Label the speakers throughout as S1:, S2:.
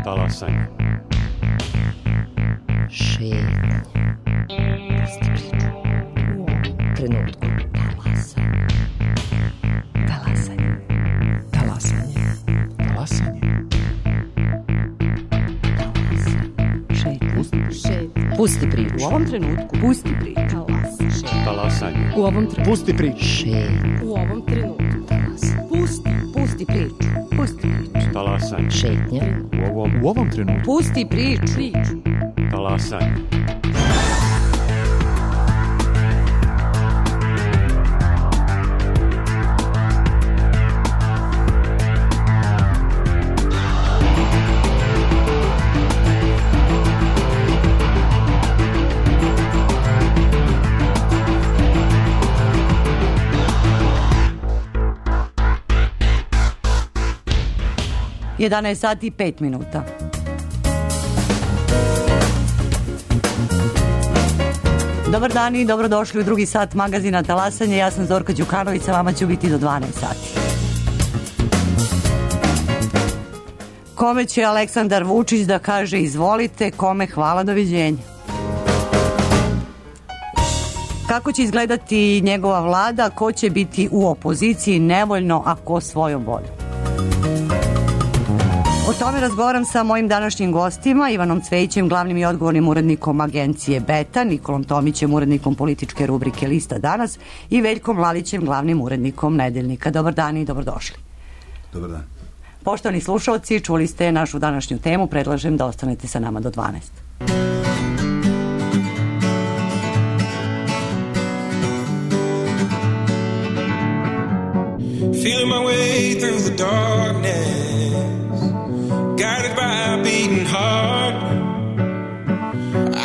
S1: Talasanje.
S2: Šetnja. Pusti priču. U ovom trenutku. Talasanje. Talasanje.
S3: Talasanje.
S2: Šetnja. Pusti priču.
S4: U ovom trenutku.
S2: Pusti priču.
S1: Talasanje.
S4: U ovom trenutku.
S3: Pusti priču.
S2: Šetnja.
S4: U ovom trenutku.
S2: Pusti priču. Pusti priču.
S1: Talasanje.
S2: Šetnja.
S3: U ovom trenutku.
S2: Pusti priču.
S1: Talasanje.
S5: Jedanaest sati i 5 minuta. Dobar dan i dobrodošli u drugi sat magazina Talasanje. Ja sam Zorka Đukanović, sa vama ću biti do 12 sati. Kome će Aleksandar Vučić da kaže izvolite, kome hvala, doviđenja. Kako će izgledati njegova vlada, ko će biti u opoziciji nevoljno, a ko svojom voljom. O tome razgovaram sa mojim današnjim gostima, Ivanom Cvejićem, glavnim i odgovornim urednikom agencije Beta, Nikolom Tomićem, urednikom političke rubrike Lista danas i Veljkom Lalićem, glavnim urednikom Nedeljnika. Dobar dan i dobrodošli.
S6: Dobar dan.
S5: Poštovani slušalci, čuli ste našu današnju temu, predlažem da ostanete sa nama do 12.
S7: Feeling my way through the darkness, guided by a beating heart.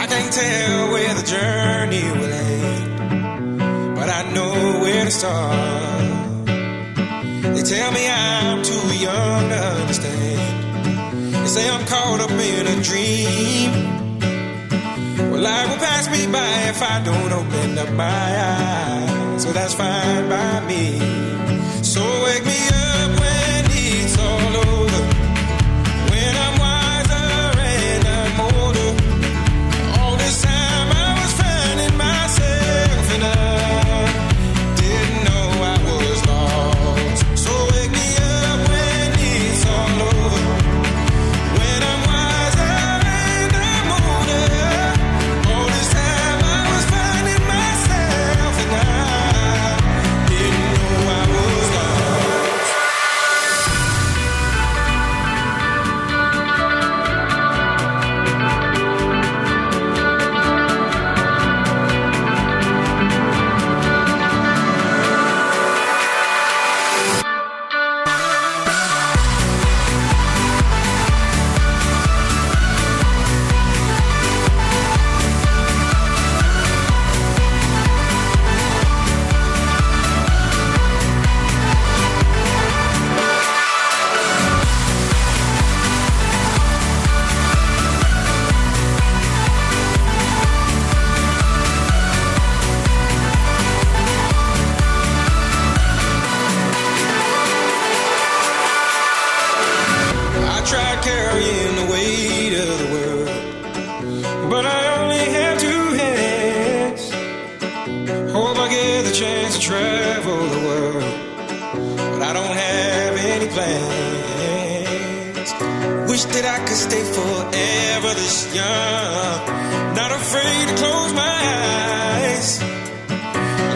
S7: I can't tell where the journey will end, but I know where to start. They tell me I'm too young to understand. They say I'm caught up in a dream. Well, life will pass me by if I don't open up my eyes. So that's fine by me. So wake me up when it's all over, when I'm wiser and I'm older. All this time I was finding myself and I didn't know I was lost. So wake me up when it's all over, when I'm wiser and I'm older. All this time I was finding myself and I didn't know I was lost. I tried carrying the weight of the world, but I only have two hands. Hope I get the chance to travel the world, but I don't have any plans. Wish that I could stay forever this young, not afraid to close my eyes.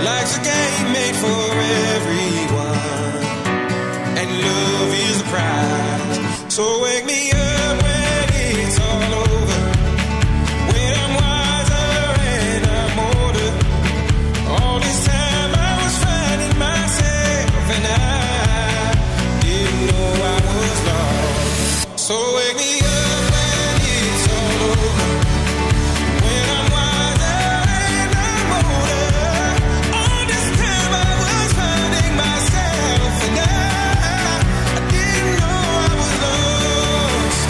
S7: Life's a game made for everyone, and love is the prize. So wake me up when it's all over, when I'm wiser and I'm older. All this time I was finding myself and I didn't know I was lost. So wake me up when it's all over, when I'm wiser and I'm older. All this time I was finding myself and I didn't know I was lost.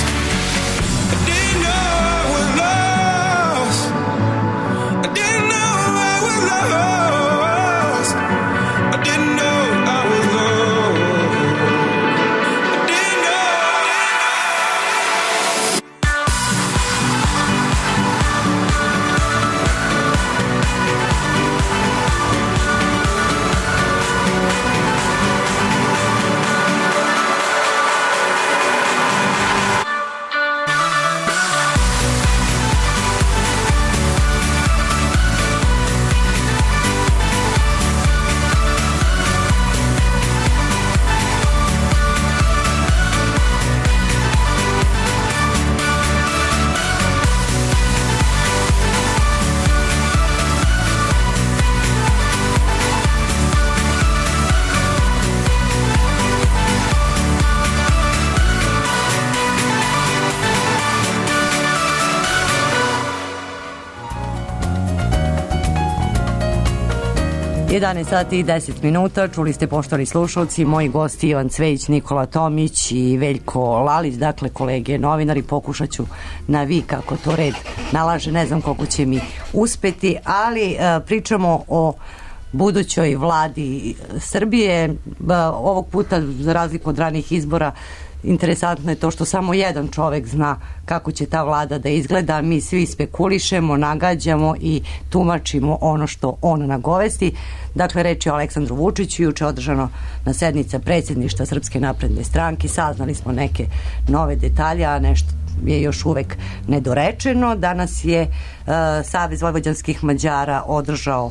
S5: 11 sati i 10 minuta, čuli ste poštovani slušalci, moji gosti Ivan Cvejić, Nikola Tomić i Veljko Lalić, dakle kolege novinari, pokušat ću na vi kako to red nalaže, ne znam koliko će mi uspeti, ali pričamo o budućoj vladi Srbije. Ovog puta, za razliku od ranih izbora, interesantno je to što samo jedan čovek zna kako će ta vlada da izgleda. Mi svi spekulišemo, nagađamo i tumačimo ono što on nagovesti. Dakle, reč je o Aleksandru Vučiću. Juče održano na sednica predsjedništva Srpske napredne stranke. Saznali smo neke nove detalje, a nešto je još uvek nedorečeno. Danas je Savez vojvođanskih Mađara održao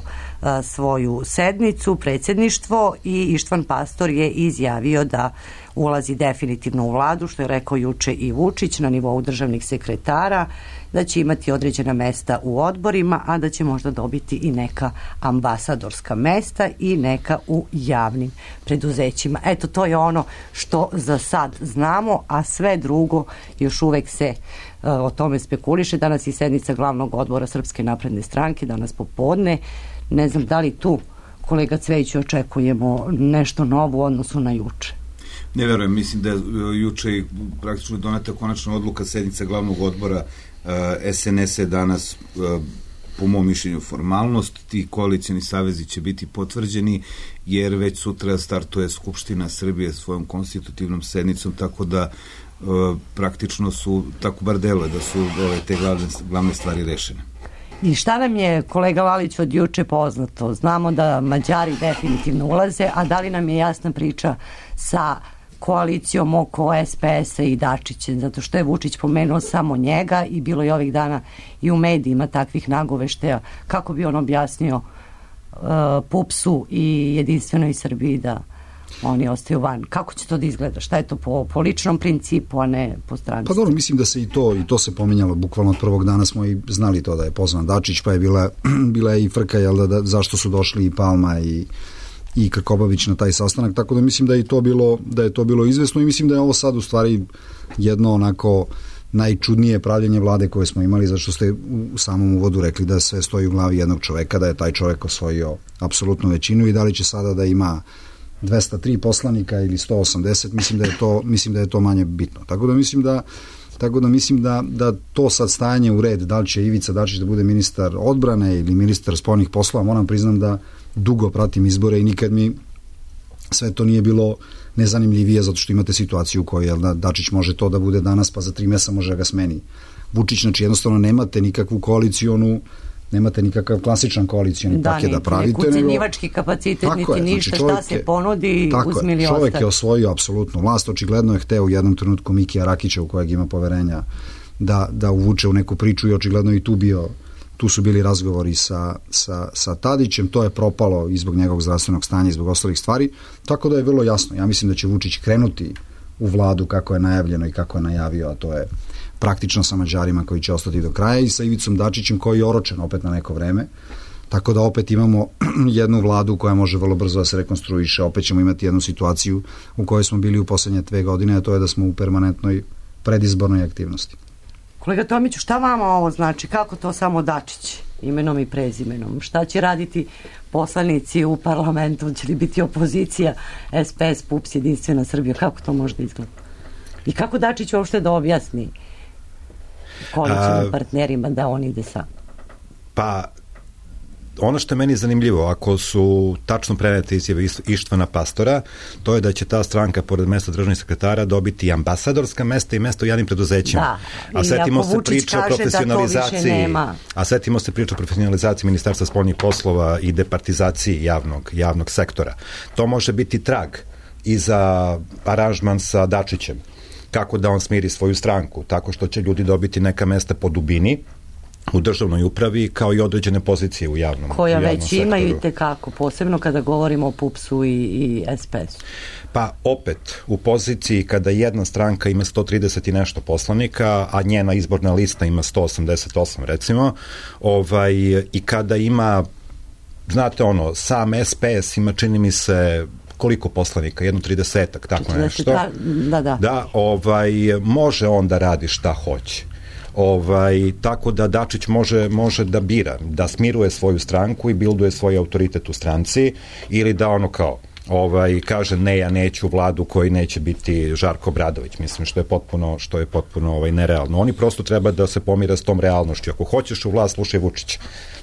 S5: svoju sednicu, predsjedništvo, i Ištvan Pastor je izjavio da ulazi definitivno u vladu, što je rekao juče i Vučić na nivou državnih sekretara, da će imati određena mesta u odborima, a da će možda dobiti i neka ambasadorska mesta i neka u javnim preduzećima. Eto, to je ono što za sad znamo, a sve drugo još uvek se o tome spekuliše. Danas je sednica glavnog odbora Srpske napredne stranke, danas popodne. Ne znam da li tu, kolega Cvejić, očekujemo nešto novo u odnosu na juče.
S6: Ne verujem, mislim da je juče praktično doneta konačna odluka sednica glavnog odbora SNS je danas, po mom mišljenju, formalnost. Ti koalicioni savezi će biti potvrđeni, jer već sutra startuje Skupština Srbije svojom konstitutivnom sednicom, tako da praktično su, tako bar deluje, da su te glavne stvari rešene.
S5: I šta nam je, kolega Lalić, od juče poznato? Znamo da Mađari definitivno ulaze, a da li nam je jasna priča sa koalicijom oko SPS-a i Dačića, zato što je Vučić pomenuo samo njega i bilo je ovih dana i u medijima takvih nagoveštaja. Kako bi on objasnio PUPS-u i Jedinstvenoj Srbiji da oni ostaju van? Kako će to da izgleda? Šta je to po ličnom principu, a ne po strani?
S8: Pa dobro, mislim da se i to se pominjalo, bukvalno od prvog dana smo i znali to da je pozvan Dačić, pa je bila i frka, jel da zašto su došli i Palma i Krkobabić na taj sastanak, tako da mislim da je to bilo izvesno i mislim da je ovo sad u stvari jedno onako najčudnije pravljenje vlade koje smo imali, zašto ste u samom uvodu rekli da sve stoji u glavi jednog čoveka, da je taj čovek osvojio apsolutnu većinu i da li će sada da ima 203 poslanika ili 180, mislim da je to manje bitno. Tako da mislim da to sad stajanje u red, da li će Ivica Dačić da bude ministar odbrane ili ministar spoljnih poslova, moram priznam da dugo pratim izbore i nikad mi sve to nije bilo nezanimljivije, zato što imate situaciju u kojoj Dačić može to da bude danas, pa za 3 mjeseca može da ga smeni Vučić. Znači jednostavno nemate nikakvu koalicionu, nemate nikakav klasičan koalicioni paket da pravite.
S5: Da, ucenjivački kapacitet, niti ništa, šta se ponudi, uzmi ili ostavi.
S8: Čovjek je osvojio apsolutnu vlast, očigledno je hteo u jednom trenutku Mikija Rakića, u kojeg ima poverenja, da uvuče u neku priču i očigledno i tu su bili razgovori sa Tadićem, to je propalo i zbog njegovog zdravstvenog stanja i zbog ostalih stvari, tako da je vrlo jasno. Ja mislim da će Vučić krenuti u vladu kako je najavljeno i kako je najavio, a to je praktično sa Mađarima koji će ostati do kraja i sa Ivicom Dačićem koji je oročen opet na neko vreme, tako da opet imamo jednu vladu koja može vrlo brzo da se rekonstruiše, opet ćemo imati jednu situaciju u kojoj smo bili u poslednje 2 godine, a to je da smo u permanentnoj predizbornoj aktivnosti.
S5: Kolega Tomiću, šta vama ovo znači? Kako to samo Dačić, imenom i prezimenom? Šta će raditi poslanici u parlamentu? Će li biti opozicija, SPS, PUPS, Jedinstvena Srbija? Kako to može da izgleda? I kako Dačić uopšte da objasni koalicijnim partnerima da on ide sam?
S9: Pa, ono što je meni zanimljivo, ako su tačno prenete izjave Ištvana Pastora, to je da će ta stranka, pored mesta državnih sekretara, dobiti ambasadorska mesta i mesta u javnim preduzećima.
S5: Da,
S9: a setimo se priče o profesionalizaciji, Ministarstva spoljnih poslova i departizaciji javnog sektora. To može biti trag i za aranžman sa Dačićem. Kako da on smiri svoju stranku? Tako što će ljudi dobiti neka mesta po dubini u državnoj upravi, kao i određene pozicije u javnom sektoru.
S5: Koja već imaju i tekako, posebno kada govorimo o PUPS-u i SPS-u.
S9: Pa opet, u poziciji kada jedna stranka ima 130 i nešto poslanika, a njena izborna lista ima 188 recimo, i kada ima, znate sam SPS ima, čini mi se, koliko poslanika, 30-ak, tako nešto.
S5: Da.
S9: Može on da radi šta hoće. Tako da Dačić može da bira, da smiruje svoju stranku i bilduje svoj autoritet u stranci, ili da ono kao kaže ne, ja neću vladu koji neće biti Žarko Obradović, mislim, što je potpuno nerealno. Oni prosto treba da se pomire s tom realnošću. Ako hoćeš u vlast, slušaj Vučića,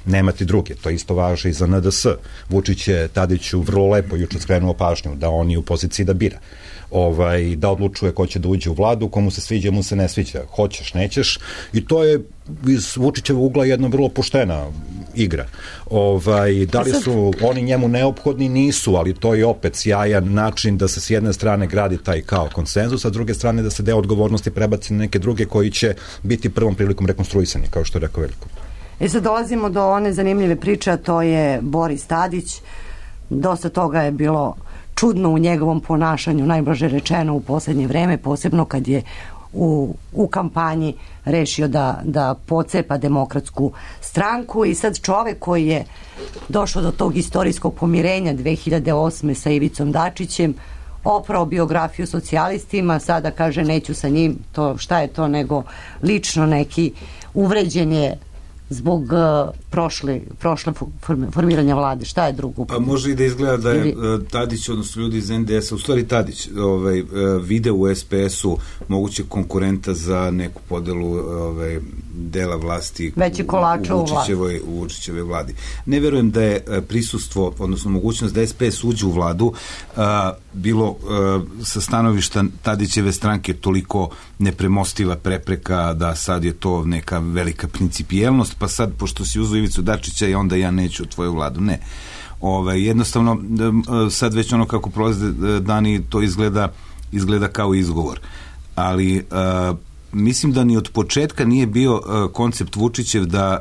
S9: nema ti druge. To isto važi i za NDS. Vučić je Tadiću vrlo lepo juče skrenuo pažnju da on je u poziciji da bira, da odlučuje ko će da uđe u vladu, komu se sviđa, mu se ne sviđa, hoćeš, nećeš, i to je iz Vučićevog ugla jedna vrlo poštena igra. Da li su oni njemu neophodni? Nisu, ali to je opet sjajan način da se s jedne strane gradi taj kao konsenzus, a s druge strane da se deo odgovornosti prebaci na neke druge koji će biti prvom prilikom rekonstruisani, kao što je rekao Veljko.
S5: Sad dolazimo do one zanimljive priče, a to je Boris Tadić. Dosta toga je bilo čudno u njegovom ponašanju, najblaže rečeno u poslednje vreme, posebno kad je u kampanji rešio da pocepa Demokratsku stranku, i sad čovek koji je došao do tog istorijskog pomirenja 2008. sa Ivicom Dačićem, oprao biografiju socijalistima, sada kaže neću sa njim, to šta je to nego lično neki uvređen je zbog prošle formiranja vlade. Šta je drugo?
S6: Pa može i da izgleda da je Tadić, odnosno ljudi iz NDS-a, u stvari Tadić vide u SPS-u moguće konkurenta za neku podelu dela vlasti u Vučićevoj vladi. Ne verujem da je prisustvo, odnosno mogućnost da SPS uđe u vladu bilo sa stanovišta Tadićeve stranke toliko nepremostiva prepreka da sad je to neka velika principijelnost, pa sad, pošto si uzeo Ivicu Dačića i onda ja neću tvoju vladu. Ne. Jednostavno, sad već ono kako prolaze dani, to izgleda kao izgovor. Ali mislim da ni od početka nije bio koncept Vučićev da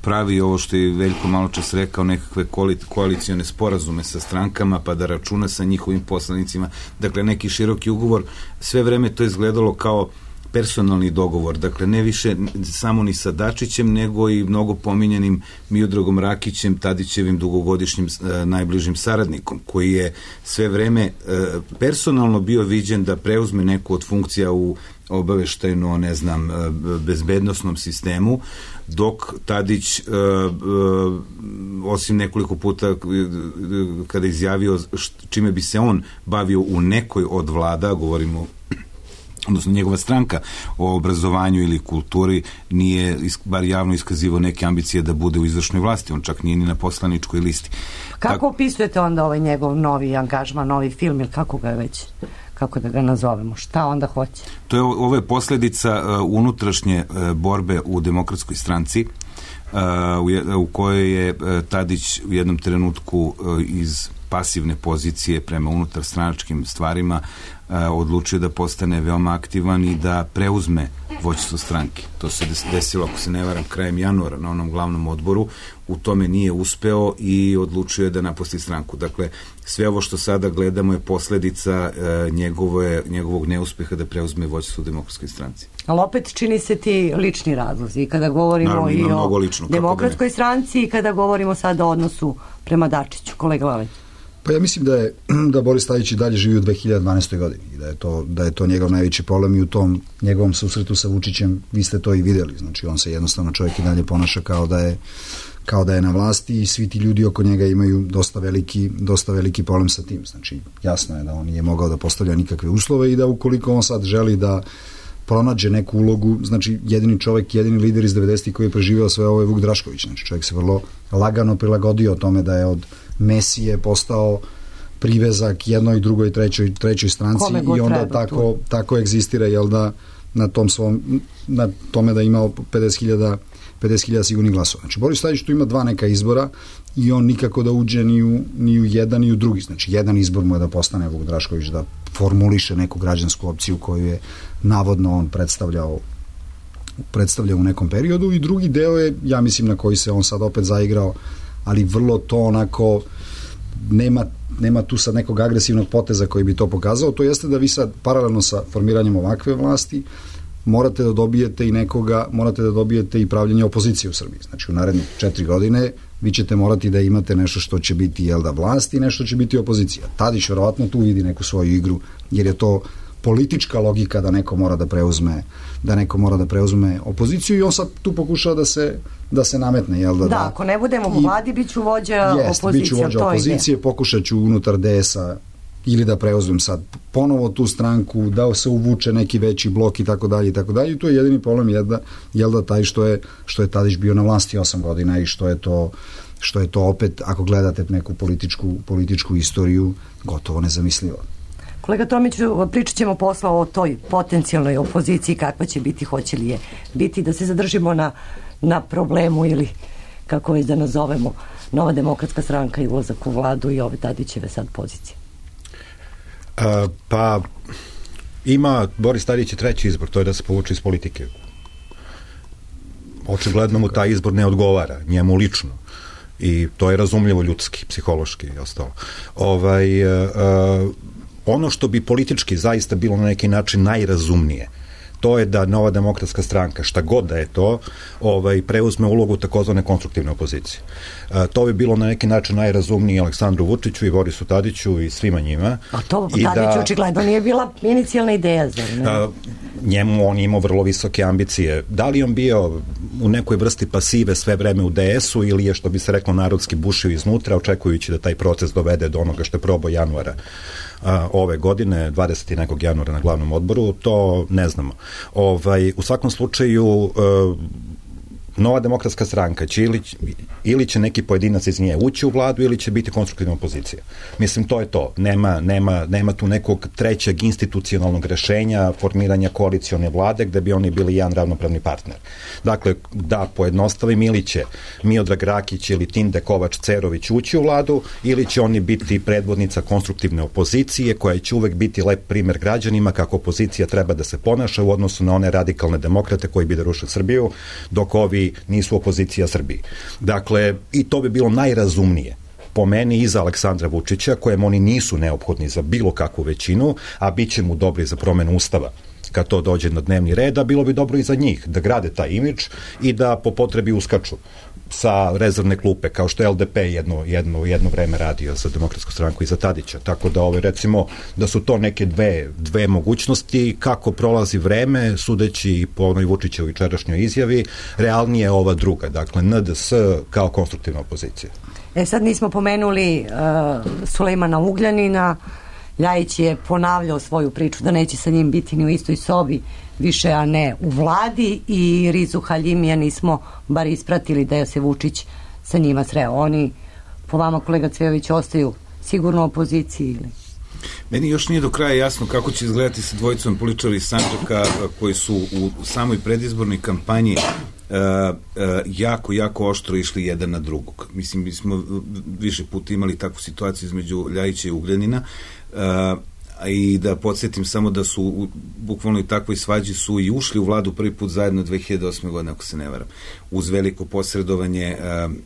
S6: pravi ovo što je Veljko malo čas rekao, nekakve koalicione sporazume sa strankama, pa da računa sa njihovim poslanicima. Dakle, neki široki ugovor. Sve vreme to izgledalo kao personalni dogovor, dakle ne više samo ni sa Dačićem, nego i mnogo pominjanim Miodragom Rakićem, Tadićevim dugogodišnjim najbližim saradnikom, koji je sve vreme personalno bio viđen da preuzme neku od funkcija u obaveštajno, ne znam, bezbednosnom sistemu, dok Tadić, osim nekoliko puta kada izjavio čime bi se on bavio u nekoj od vlada, govorimo odnosno njegova stranka o obrazovanju ili kulturi, nije bar javno iskazivao neke ambicije da bude u izvršnoj vlasti, on čak nije ni na poslaničkoj listi.
S5: Kako opisujete onda ovaj njegov novi angažman, novi film, ili kako ga već, kako da ga nazovemo, šta onda hoće?
S6: Ovo je posledica unutrašnje borbe u Demokratskoj stranci, u kojoj je Tadić u jednom trenutku iz pasivne pozicije prema unutar stranačkim stvarima odlučio da postane veoma aktivan i da preuzme vođstvo stranke. To se desilo, ako se ne varam, krajem januara na onom glavnom odboru. U tome nije uspeo i odlučio je da napusti stranku. Dakle, sve ovo što sada gledamo je posledica njegovog neuspeha da preuzme vođstvo u Demokratskoj stranci.
S5: Ali opet čini se ti lični razlozi. Kada govorimo naravno, i o Demokratskoj stranci i kada govorimo sada o odnosu prema Dačiću. Kolega Lalić.
S8: Pa ja mislim da Boris Tadić i dalje živi u 2012. godini i da je to njegov najveći problem i u tom njegovom susretu sa Vučićem vi ste to i videli. Znači on se jednostavno čovjek i dalje ponaša kao da je na vlasti i svi ti ljudi oko njega imaju dosta veliki problem sa tim. Znači jasno je da on nije mogao da postavlja nikakve uslove i da ukoliko on sad želi da pronađe neku ulogu, znači jedini lider iz 90-ih koji je preživio sve ovo je Vuk Drašković. Znači čovjek se vrlo lagano prilagodio tome da je od Mesije postao privezak jednoj, drugoj, trećoj stranci i onda tako egzistira, jel da, na tome da je imao 50.000 sigurnih glasova. Znači Boris Tadić tu ima dva neka izbora i on nikako da uđe ni u jedan ni u drugi. Znači jedan izbor mu je da postane Vuk Drašković, da formuliše neku građansku opciju koju je navodno on predstavljao u nekom periodu i drugi deo je, ja mislim, na koji se on sad opet zaigrao, ali vrlo to onako nema tu sad nekog agresivnog poteza koji bi to pokazao, to jeste da vi sad paralelno sa formiranjem ovakve vlasti morate da dobijete i pravljenje opozicije u Srbiji. Znači u narednih 4 godine vi ćete morati da imate nešto što će biti vlast i nešto će biti opozicija. Tadić verovatno tu vidi neku svoju igru, jer je to politička logika da neko mora da preuzme opoziciju i on sad tu pokušava da se nametne, jel da?
S5: Da, ako ne budemo u vladi, biću vođa opozicije.
S8: Biću vođa opozicije, pokušat ću unutar DS-a ili da preuzmem sad ponovo tu stranku, da se uvuče neki veći blok i tako dalje. I tu je jedini problem jel da taj što je Tadić bio na vlasti 8 godina i što je to opet, ako gledate neku političku istoriju, gotovo nezamislivo.
S5: Kolega Tomiću, pričat ćemo posle o toj potencijalnoj opoziciji, kakva će biti, hoće li je biti, da se zadržimo na problemu ili kako već da nazovemo Nova demokratska stranka i ulazak u vladu i ove Tadićeve sad pozicije.
S9: Pa ima Boris Tadić je treći izbor, to je da se povuče iz politike. Očigledno mu taj izbor ne odgovara, njemu lično. I to je razumljivo ljudski, psihološki i ostalo. Ono što bi politički zaista bilo na neki način najrazumnije, to je da Nova demokratska stranka, šta god da je to, preuzme ulogu takozvane konstruktivne opozicije. To bi bilo na neki način najrazumnije Aleksandru Vučiću i Borisu Tadiću i svima njima.
S5: A to Tadiću očigledno nije bila inicijalna ideja, zar ne?
S9: Njemu on imao vrlo visoke ambicije. Da li on bio u nekoj vrsti pasive sve vreme u DS-u ili je, što bi se reklo, narodski bušio iznutra, očekujući da taj proces dovede do onoga što je probao januara ove godine, 20. nekog januara na glavnom odboru, to ne znamo. U svakom slučaju Nova demokratska stranka će ili će neki pojedinac iz nje ući u vladu ili će biti konstruktivna opozicija. Mislim, to je to. Nema tu nekog trećeg institucionalnog rešenja, formiranja koalicione vlade gde bi oni bili jedan ravnopravni partner. Dakle, da pojednostavim, ili će Miodrag Rakić ili Tinde Kovač Cerović ući u vladu, ili će oni biti predvodnica konstruktivne opozicije koja će uvek biti lep primer građanima kako opozicija treba da se ponaša u odnosu na one radikalne demokrate koji bi da ruše Srbiju, dok ovi nisu opozicija Srbiji. Dakle, i to bi bilo najrazumnije po meni i za Aleksandra Vučića, kojem oni nisu neophodni za bilo kakvu većinu, a bit će mu dobri za promenu ustava kad to dođe na dnevni red, a bilo bi dobro i za njih da grade taj imidž i da po potrebi uskaču sa rezervne klupe, kao što je LDP jedno vreme radio za Demokratsku stranku i za Tadića. Tako da recimo da su to neke dve mogućnosti. Kako prolazi vreme, sudeći po onoj Vučićevoj jučerašnjoj izjavi, realnije je ova druga, dakle NDS kao konstruktivna opozicija.
S5: Sad nismo pomenuli Sulejmana Ugljanina. Ljajić je ponavljao svoju priču da neće sa njim biti ni u istoj sobi više, a ne u vladi, i Rizu Haljimija nismo bar ispratili da je se Vučić sa njima sreo. Oni, po vama, kolega Cvejović, ostaju sigurno u opoziciji ili?
S6: Meni još nije do kraja jasno kako će izgledati sa dvojicom političara iz Sandžaka koji su u samoj predizbornoj kampanji jako oštro išli jedan na drugog. Mislim, mi smo više puta imali takvu situaciju između Ljajića i Ugljanina, i da podsjetim samo da su bukvalno i takvoj svađi su i ušli u vladu prvi put zajedno 2008. godine, ako se ne varam, uz veliko posredovanje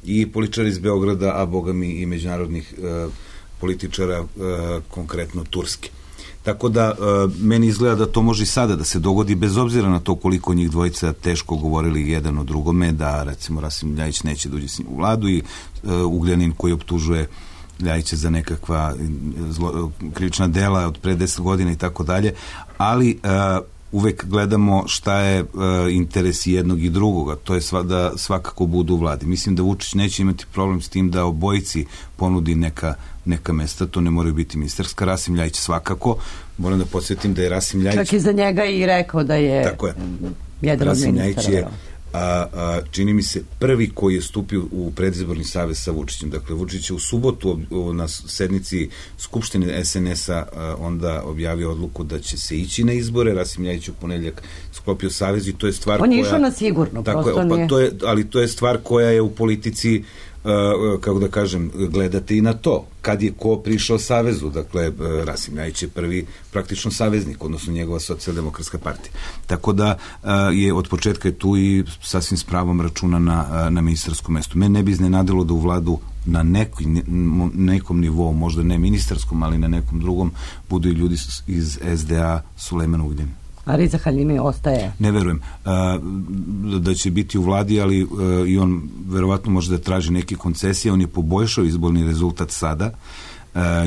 S6: i političara iz Beograda, a bogami i međunarodnih političara, konkretno Turske. Tako da meni izgleda da to može i sada da se dogodi, bez obzira na to koliko njih dvojica teško govorili jedan o drugome, da recimo Rasim Ljajić neće da uđe s njim u vladu i Ugljanin koji optužuje Ljajića za nekakva krivična dela od pre 10 godina i tako dalje, ali uvek gledamo šta je interes jednog i drugoga, to je da svakako budu u vladi. Mislim da Vučić neće imati problem s tim da obojici ponudi neka mesta, to ne moraju biti ministarska. Rasim Ljajić svakako, moram da podsjetim da je Rasim Ljajić...
S5: Čak i za njega i rekao da je... Tako je. Jedan od ministara.
S6: Čini mi se prvi koji je stupio u predizborni savez sa Vučićem. Dakle, Vučić je u subotu na sednici Skupštine SNS-a onda objavio odluku da će se ići na izbore. Rasim Ljajić u ponedeljak sklopio savez i to je stvar koja...
S5: On je išao na sigurno, prosto nije...
S6: Ali to je stvar koja je u politici, kako da kažem, gledate i na to. Kad je ko prišao savezu, dakle, Rasim Ljajić je prvi praktično saveznik, odnosno njegova socijaldemokratska partija. Tako da je od početka je tu i sasvim s pravom računa na ministarskom mestu. Mene ne bi iznenadilo da u vladu na nekom nivou, možda ne ministarskom, ali na nekom drugom, budu i ljudi iz SDA Sulejman Ugljanin.
S5: A Riza Haljimi ostaje?
S6: Ne verujem da će biti u vladi, ali i on verovatno može da traži neke koncesije. On je poboljšao izborni rezultat sada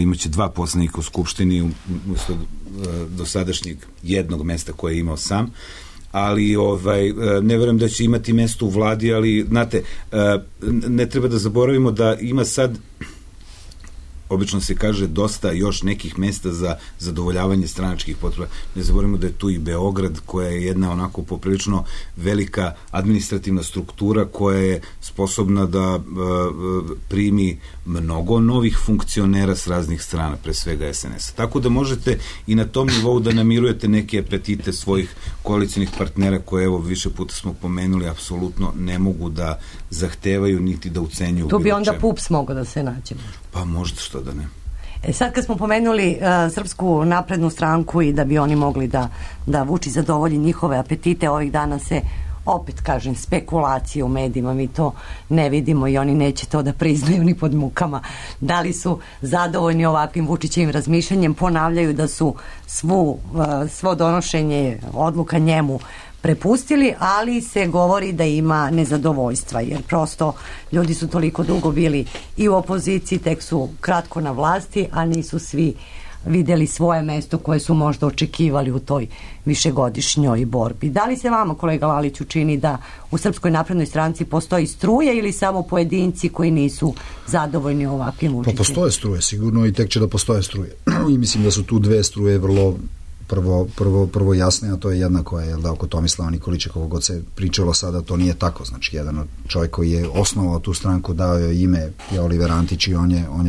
S6: imaće 2 poslanika u Skupštini umjesto dosadašnjeg jednog mesta koje je imao sam, ali ne verujem da će imati mesto u vladi, ali znate, ne treba da zaboravimo da ima sad, obično se kaže, dosta još nekih mesta za zadovoljavanje stranačkih potreba. Ne zaboravimo da je tu i Beograd, koja je jedna onako poprilično velika administrativna struktura koja je sposobna da primi mnogo novih funkcionera s raznih strana, pre svega SNS-a. Tako da možete i na tom nivou da namirujete neke apetite svojih koalicijnih partnera koje, evo, više puta smo pomenuli, apsolutno ne mogu da zahtevaju niti da ucenjuju.
S5: Tu bi onda PUPS mogao da se nađe.
S6: Pa možda, što da ne.
S5: Sad kad smo pomenuli Srpsku naprednu stranku i da bi oni mogli da Vučić zadovolji njihove apetite, ovih dana se opet, kažem, spekulacije u medijima, mi to ne vidimo i oni neće to da priznaju ni pod mukama. Da li su zadovoljni ovakvim Vučićevim razmišljanjem, ponavljaju da su svo donošenje odluka njemu prepustili, ali se govori da ima nezadovoljstva, jer prosto ljudi su toliko dugo bili i u opoziciji, tek su kratko na vlasti, a nisu svi videli svoje mesto koje su možda očekivali u toj višegodišnjoj borbi. Da li se vama, kolega Laliću, čini da u Srpskoj naprednoj stranci postoji struje ili samo pojedinci koji nisu zadovoljni ovakvim Vučićem?
S8: Pa postoje struje sigurno i tek će da postoje struje. I mislim da su tu 2 struje vrlo prvo jasne, a to je jedna koja je oko Tomislava Nikolića, kako god se pričalo sada, to nije tako. Znači, jedan čovjek koji je osnovao tu stranku, dao je ime, je Oliver Antić i on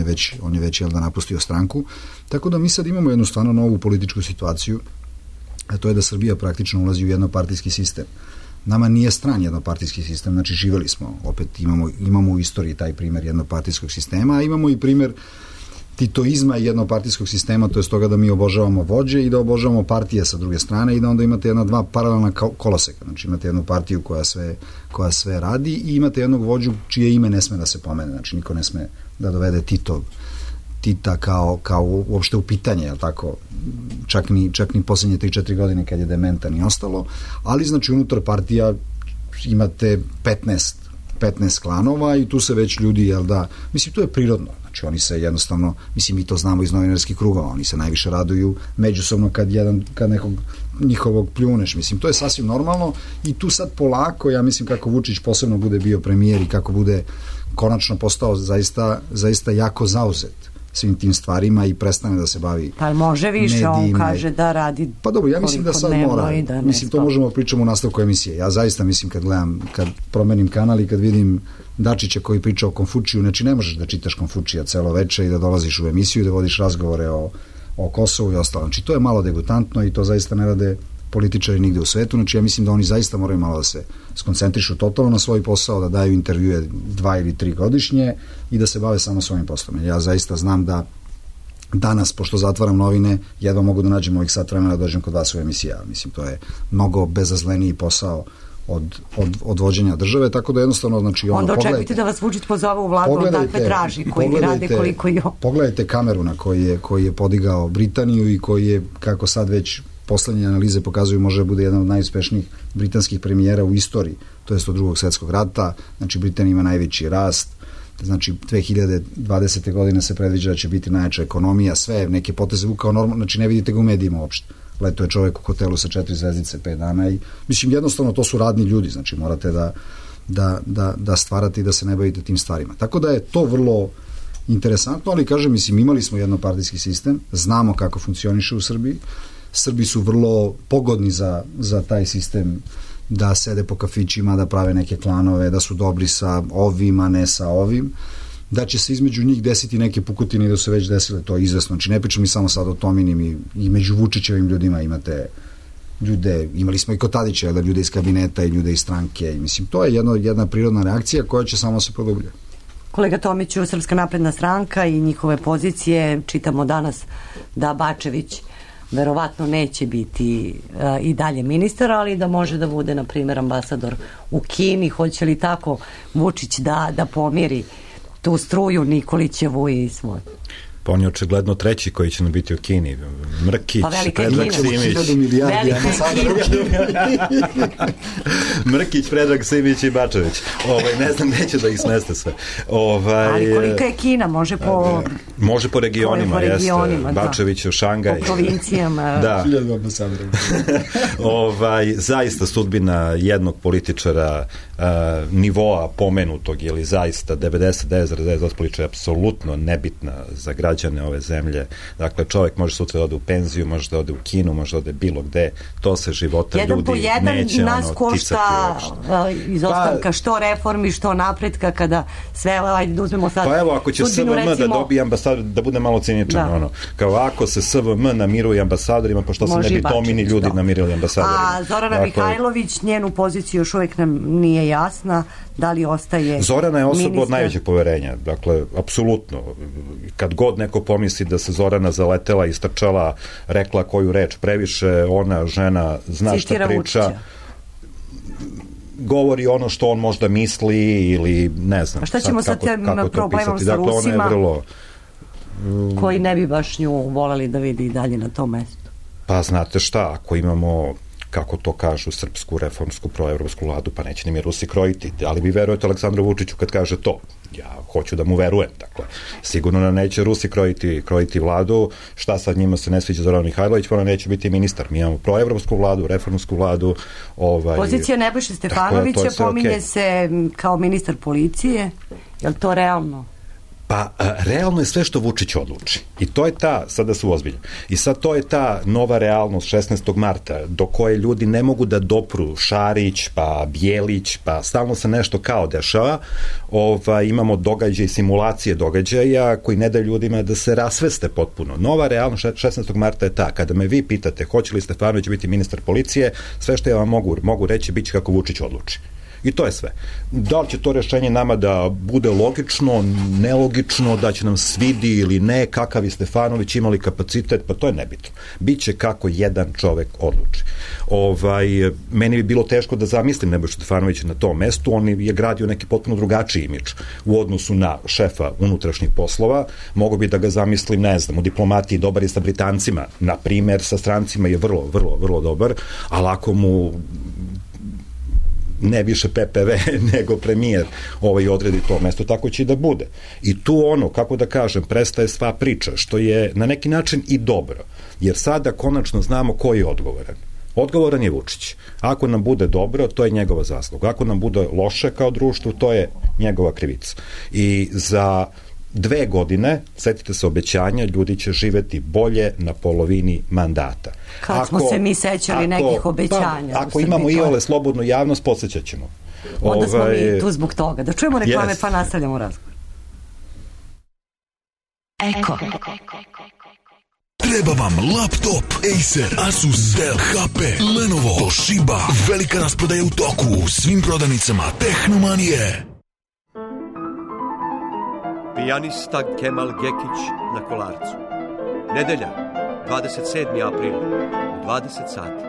S8: je već napustio stranku. Tako da mi sad imamo jednu stvarno novu političku situaciju, a to je da Srbija praktično ulazi u jednopartijski sistem. Nama nije stran jednopartijski sistem, znači živeli smo, opet imamo u istoriji taj primer jednopartijskog sistema, a imamo i primer titoizma i jednopartijskog sistema, to je stoga da mi obožavamo vođe i da obožavamo partije sa druge strane i da onda imate 2 paralelna koloseka. Znači imate jednu partiju koja sve radi i imate jednog vođu čije ime ne sme da se pomene. Znači niko ne sme da dovede Tita kao uopšte u pitanje, je li tako? Čak ni posljednje 3-4 godine kad je dementan i ostalo, ali znači unutar partija imate 15 klanova i tu se već ljudi, jel da, mislim, to je prirodno. Znači, oni se jednostavno, mislim, mi to znamo iz novinarskih krugova, oni se najviše raduju međusobno kad nekog njihovog pljuneš. Mislim, to je sasvim normalno i tu sad polako, ja mislim, kako Vučić posebno bude bio premijer i kako bude konačno postao zaista jako zauzet svim tim stvarima i prestane da se bavi
S5: pa može više, medijima. On kaže da radi.
S8: Pa dobro, ja mislim da sad mora, mislim, to možemo pričamo u nastavku emisije. Ja zaista mislim kad promenim kanal i kad vidim Dačića koji priča o Konfučiju, znači ne možeš da čitaš Konfučija celo veče i da dolaziš u emisiju i da vodiš razgovore o Kosovu i ostalo. Znači to je malo degutantno i to zaista ne rade političari nigde u svetu. Znači ja mislim da oni zaista moraju malo da se skoncentrišu totalno na svoj posao, da daju intervjue 2 ili 3 godišnje i da se bave samo svojim poslom. Ja zaista znam da danas, pošto zatvaram novine, jedva mogu da nađem ovih sat vremena da dođem kod vas u emisiji. Mislim, to je mnogo bezazleniji posao od vođenja države, tako da jednostavno, znači,
S5: onda očekujte da vas Vučić pozove u vladu, on takve traži koji rade koliko i on.
S8: Pogledajte kameru na koji je podigao Britaniju i koji je, kako sad već poslednje analize pokazuju, može da bude jedan od najuspešnijih britanskih premijera u istoriji, to jest od Drugog svjetskog rata. Znači, Britanija ima najveći rast, znači 2020. godine se predviđa da će biti najjača ekonomija, sve neke poteze vukao normalno, znači ne vidite ga u medijima uopšte. Leto je čovjek u hotelu sa 4 zvezdice 5 dana i mislim jednostavno to su radni ljudi, znači morate da stvarate i da se ne bavite tim stvarima. Tako da je to vrlo interesantno, ali kažem, mislim, imali smo jednopartijski sistem, znamo kako funkcioniše u Srbiji, Srbi su vrlo pogodni za taj sistem, da sede po kafićima, da prave neke klanove, da su dobri sa ovim, a ne sa ovim, da će se između njih desiti neke pukotine i da su već desile, to je izvesno. Znači ne pričam i samo sad o Tominim i među Vučićevim ljudima imate ljude, imali smo i kod Tadića, da ljude iz kabineta i ljude iz stranke i mislim, to je jedna prirodna reakcija koja će samo se produbljati.
S5: Kolega Tomiću, Srpska napredna stranka i njihove pozicije, čitamo danas da Bačević verovatno neće biti i dalje ministar, ali da može da bude, na primjer, ambasador u Kini. Hoće li tako Vučić da pomiri tu struju Nikolićevu i svoju?
S9: Pa on je očigledno treći koji će nam biti u Kini. Mrkić, Predrag Simić. Mrkić, Predrag Simić i Bačević. Ne znam, neće da ih smeste sve.
S5: Ali kolika je Kina? Može po
S9: regionima, jeste. Bačević u Šangaj.
S5: Po provincijama.
S9: Da. Zaista sudbina jednog političara nivoa pomenutog ili zaista 99,9% političara je apsolutno nebitna za građane ove zemlje. Dakle, čovjek može sutra da ode u penziju, može da ode u Kinu, može da ode bilo gde. To se života
S5: jedan
S9: ljudi neće
S5: nas košta izostanka što reformi, što napretka kada sve, ajde da uzmemo sad.
S9: Pa evo, ako će SVM da dobije ambasador, da bude malo ciničan, kao ako se SVM namiruje ambasadorima, pošto se ne bi Tomini ljudi namirili ambasadorima.
S5: A Zorana Mihajlović, njenu poziciju još uvijek nam nije jasna, da li ostaje
S9: Zorana je osoba od najvećeg poverenja, dakle, apsolutno. Kad god neko pomisli da se Zorana zaletela, istrčala, rekla koju reč previše, ona, žena, zna šta priča, govori ono što on možda misli ili ne znam.
S5: A šta ćemo sa tem problemom sa Rusima, koji ne bi baš nju voleli da vidi i dalje na tom mestu?
S9: Pa znate šta, ako imamo, kako to kažu, srpsku, reformsku, proevropsku vladu, pa neće ni mi Rusi krojiti. Ali vi verujete Aleksandru Vučiću kad kaže to? Ja hoću da mu verujem, dakle. Sigurno da neće Rusi krojiti vladu. Šta sad njima se ne sviđa Zorana Mihajlović, pa ona neće biti ministar. Mi imamo proevropsku vladu, reformsku vladu.
S5: Pozicija Nebojše Stefanovića pominje se kao ministar policije. Je li to realno?
S9: Pa, realno je sve što Vučić odluči. I to je ta, sada su ozbiljni, i sad to je ta nova realnost 16. marta, do koje ljudi ne mogu da dopru. Šarić, pa Bijelić, pa stalno se nešto kao dešava. Imamo događaj, simulacije događaja koji ne daju ljudima da se rasveste potpuno. Nova realnost 16. marta je ta. Kada me vi pitate hoće li Stefanović biti ministar policije, sve što ja vam mogu reći biće kako Vučić odluči. I to je sve. Da li će to rešenje nama da bude logično, nelogično, da će nam svidi ili ne, kakav je Stefanović, imali kapacitet, pa to je nebitno. Biće kako jedan čovek odluči. Meni bi bilo teško da zamislim Nebojšu Stefanovića na tom mestu, on je gradio neki potpuno drugačiji imidž u odnosu na šefa unutrašnjih poslova, mogu bi da ga zamislim, ne znam, u diplomatiji dobar je sa Britancima, na primer, sa strancima je vrlo, vrlo, vrlo dobar, ali ako mu ne više PPV nego premijer odredi to mesto, tako će i da bude. I tu kako da kažem, prestaje sva priča, što je na neki način i dobro, jer sada konačno znamo ko je odgovoran. Odgovoran je Vučić. Ako nam bude dobro, to je njegova zasluga. Ako nam bude loše kao društvo, to je njegova krivica. I za 2 godine, setite se obećanja, ljudi će živeti bolje na polovini mandata.
S5: Kad smo se mi sećali nekih obećanja.
S9: Ako imamo i ole slobodnu javnost, podsjećat ćemo.
S5: Onda smo mi tu zbog toga. Da čujemo reklame, pa nastavljamo razgovor. Eko.
S10: Treba vam laptop, Acer, Asus, Dell, HP, Lenovo, Toshiba. Velika rasprodaja u toku u svim prodavnicama Tehnomanije.
S1: Pijanista Kemal Gekić na Kolarcu. Nedelja, 27. april, 20 sati.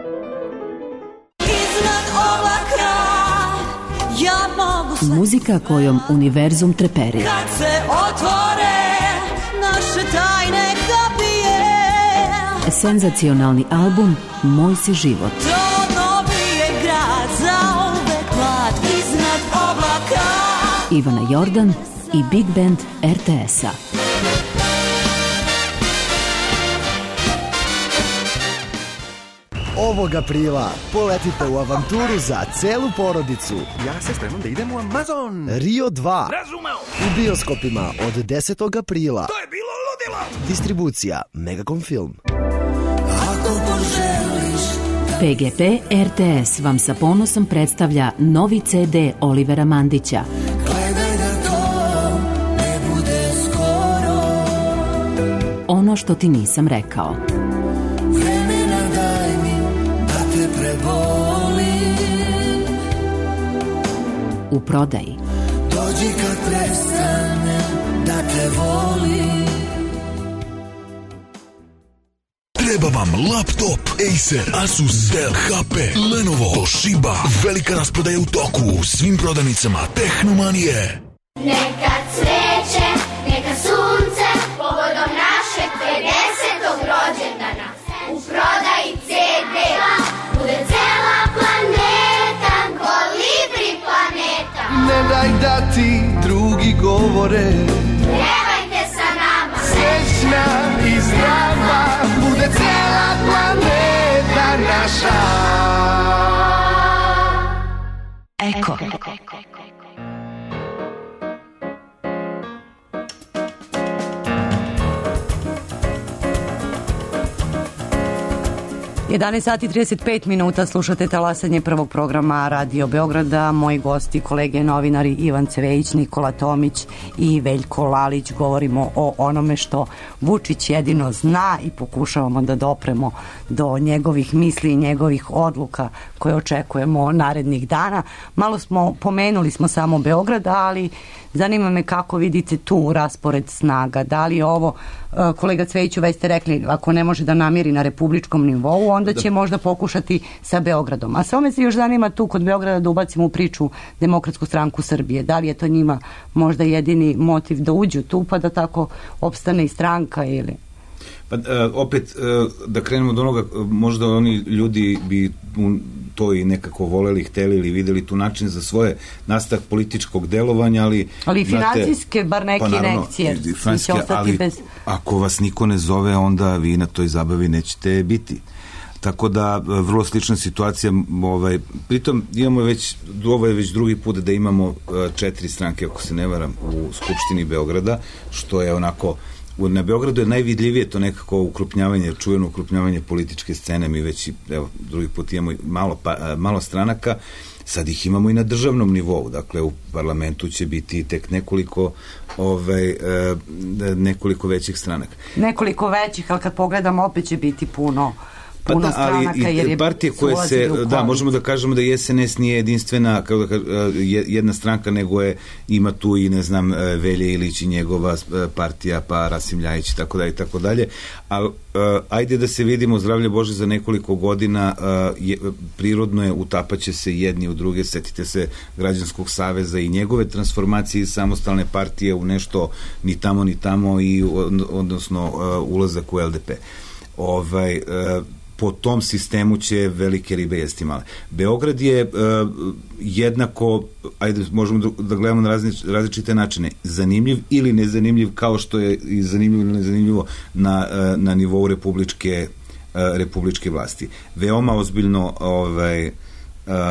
S11: Iznad oblaka ja mogu sve.
S2: Muzika kojom univerzum treperi.
S11: Kad se otvore naše tajne kapije.
S2: Senzacionalni album Moj si život.
S11: To novi je grad za uvek mlad. Iznad oblaka
S2: Ivana Jordan i Big Band RTS-a.
S12: Ovog aprila poletite u avanturu za celu porodicu.
S3: Ja se spremam da idem u Amazon.
S12: Rio 2.
S3: Razumeo.
S12: U bioskopima od 10. aprila.
S3: To je bilo ludilo.
S12: Distribucija Megacom Film.
S11: ako poželiš.
S2: PGP RTS vam sa ponosom predstavlja novi CD Olivera Mandića.
S11: Gledaj da to ne bude skoro.
S2: Ono što ti nisam rekao.
S11: Vremena daj mi da te prebolim.
S2: U prodaji.
S11: Dođi kad prestane da te volim.
S10: Treba vam laptop, Acer, Asus, Dell, HP, Lenovo, Toshiba. Velika rasprodaja u toku u svim prodavnicama Tehnomanije.
S13: Neka cveće, neka sunce, povodom u prodaji CD. Bude cela planeta, Kolibri planeta.
S12: Ne daj da ti drugi govore,
S13: Pevajte sa nama,
S12: srećna i zdrava, bude cela planeta naša.
S2: Eko.
S5: 11 sati 35 minuta, slušate talasanje prvog programa Radio Beograda. Moji gosti, kolege novinari Ivan Cvejić, Nikola Tomić i Veljko Lalić. Govorimo o onome što Vučić jedino zna i pokušavamo da dopremo do njegovih misli i njegovih odluka koje očekujemo narednih dana. Malo pomenuli smo samo Beograd, ali zanima me kako vidite tu raspored snaga. Da li je ovo, kolega Cvejiću, već ste rekli, ako ne može da namiri na republičkom nivou, onda će možda pokušati sa Beogradom. A samo me se još zanima tu kod Beograda da ubacimo u priču Demokratsku stranku Srbije. Da li je to njima možda jedini motiv da uđu tu, pa da tako opstane i stranka ili...
S6: Pa opet, da krenemo od onoga, možda oni ljudi bi to i nekako voleli, hteli ili videli tu način za svoje nastavak političkog delovanja, ali
S5: financijske, bar neke injekcije.
S6: Ali ako vas niko ne zove, onda vi na toj zabavi nećete biti. Tako da, vrlo slična situacija, pritom imamo ovo je već drugi put da imamo 4 stranke, ako se ne varam, u Skupštini Beograda, što je onako, na Beogradu je najvidljivije to nekako ukrupnjavanje, čujeno ukrupnjavanje političke scene. Mi već, evo, drugi put imamo malo stranaka, sad ih imamo i na državnom nivou, dakle u parlamentu će biti tek nekoliko većih stranaka.
S5: Nekoliko većih, ali kad pogledamo opet će biti puno stranaka, jer je
S6: partije koje se, možemo da kažemo da SNS nije jedinstvena jedna stranka, nego ima tu i, ne znam, Velja Ilić i njegova partija, pa Rasim Ljajić i tako dalje, ali ajde da se vidimo, zdravlje Bože, za nekoliko godina prirodno je, utapaće se jedni u druge. Setite se Građanskog saveza i njegove transformacije iz samostalne partije u nešto ni tamo i odnosno ulazak u LDP. Po tom sistemu će velike ribe jesti male. Beograd je jednako, ajde, možemo da gledamo na različite načine, zanimljiv ili nezanimljiv, kao što je i zanimljivo ili nezanimljivo na nivou republičke vlasti. Veoma ozbiljno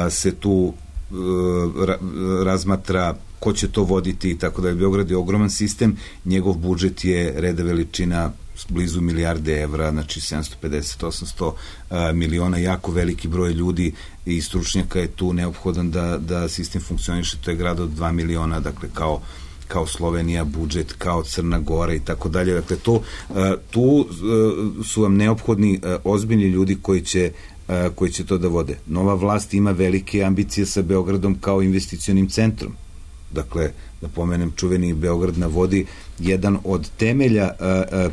S6: se tu razmatra ko će to voditi i tako da je. Beograd je ogroman sistem, njegov budžet je reda veličina blizu milijarde evra, znači 750-800 miliona, jako veliki broj ljudi i stručnjaka je tu neophodan da sistem funkcioniše. To je grad od 2 miliona, dakle kao Slovenija, budžet, kao Crna Gora i tako dalje. Dakle, tu su vam neophodni ozbiljni ljudi koji će to da vode. Nova vlast ima velike ambicije sa Beogradom kao investicionim centrom. Dakle, da pomenem čuveni Beograd na vodi, jedan od temelja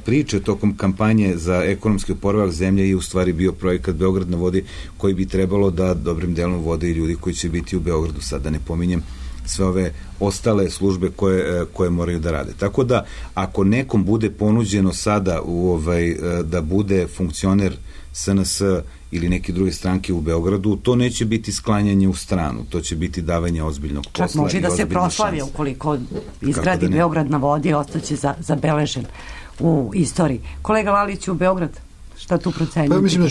S6: priče tokom kampanje za ekonomski oporavak zemlje je u stvari bio projekat Beograd na vodi, koji bi trebalo da dobrim delom vode i ljudi koji će biti u Beogradu. Sad da ne pominjem sve ove ostale službe koje moraju da rade. Tako da, ako nekom bude ponuđeno sada da bude funkcioner SNS ili neke druge stranke u Beogradu, to neće biti sklanjanje u stranu, to će biti davanje ozbiljnog posla.
S5: Čak može da se proslavi ukoliko izgradi Beograd na vodi, ostaće zabeležen u istoriji. Kolega Lalić, u Beograd, šta tu procenjujete?
S8: Pa ja mislim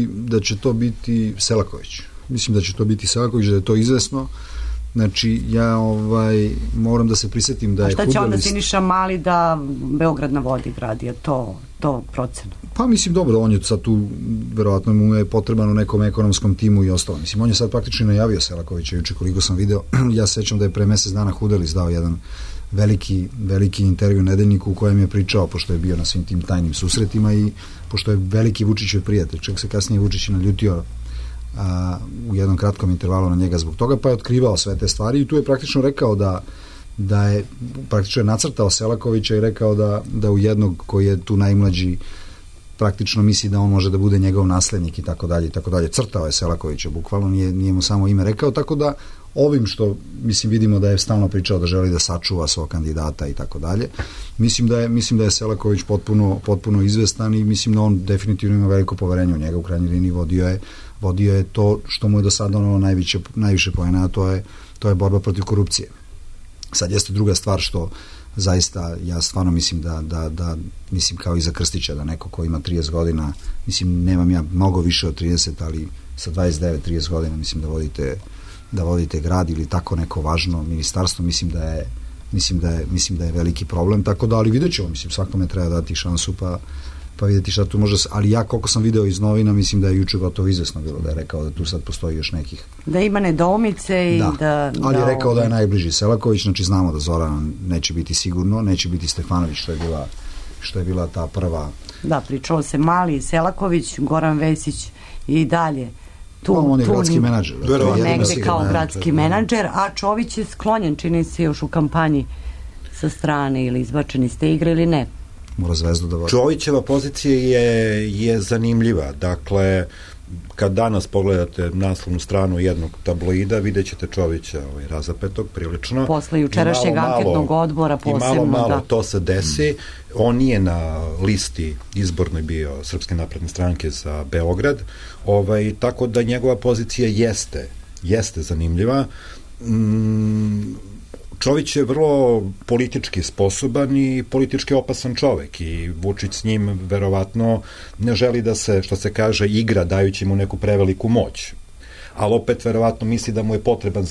S8: da će to biti Selaković. Mislim da će to biti Selaković, da je to izvesno. Znači, ja moram da se prisetim da je...
S5: A šta će onda Siniša Mali da Beograd na vodi gradi? Je to procen?
S8: Pa mislim, dobro, on je sad tu, verovatno mu je potreban u nekom ekonomskom timu i ostalo. Mislim, on je sad praktično najavio Selakovića juče, koliko sam video. Ja sećam da je pre mesec dana Hudelis dao jedan veliki intervju Nedeljniku u kojem je pričao, pošto je bio na svim tim tajnim susretima i pošto je veliki Vučićev prijatelj, čak se kasnije Vučić naljutio u jednom kratkom intervalu na njega zbog toga, pa je otkrivao sve te stvari i tu je praktično rekao da je praktično nacrtao Selakovića i rekao da u jednog koji je tu najmlađi praktično misli da on može da bude njegov naslednik i tako dalje i tako dalje. Crtao je Selakovića bukvalno, nije mu samo ime rekao, tako da ovim što mislim vidimo da je stalno pričao da želi da sačuva svog kandidata i tako dalje. Mislim da je Selaković potpuno izvestan i mislim da on definitivno ima veliko poverenje u njega, u krajnjoj liniji vodio je to što mu je do sada ono najviše poena, a to je borba protiv korupcije. Sad jeste druga stvar što zaista ja stvarno mislim da mislim kao i za Krstića, da neko ko ima 30 godina, mislim nemam ja mnogo više od 30, ali sa 29-30 godina mislim da vodite grad ili tako neko važno ministarstvo, mislim da je veliki problem, tako da, ali vidjet ćemo, mislim svakome treba dati šansu pa vidjeti šta tu može, ali ja koliko sam video iz novina, mislim da je juče gotovo izvesno bilo da je rekao da tu sad postoji još nekih.
S5: Da ima nedoumice i da...
S8: Ali je rekao da je najbliži Selaković, znači znamo da Zoran neće biti sigurno, neće biti Stefanović, što je bila ta prva...
S5: Da, pričalo se Mali, Selaković, Goran Vesić i dalje.
S8: On je gradski menadžer.
S5: Negde kao gradski menadžer, a Čović je sklonjen, čini se još u kampanji sa strane ili izbačeni ste igre ili ne.
S8: Mora Zvezdu da vodi.
S9: Čovićeva pozicija je zanimljiva. Dakle, kad danas pogledate naslovnu stranu jednog tabloida, vidjet ćete Čovića razapetog prilično.
S5: Posle jučerašnjeg anketnog odbora posebno.
S9: I malo to se desi. On nije na listi izbornoj bio Srpske napredne stranke za Beograd. Tako da njegova pozicija jeste zanimljiva. Čović je vrlo politički sposoban i politički opasan čovek i Vučić s njim verovatno ne želi da se, što se kaže, igra dajući mu neku preveliku moć. Ali opet verovatno misli da mu je potreban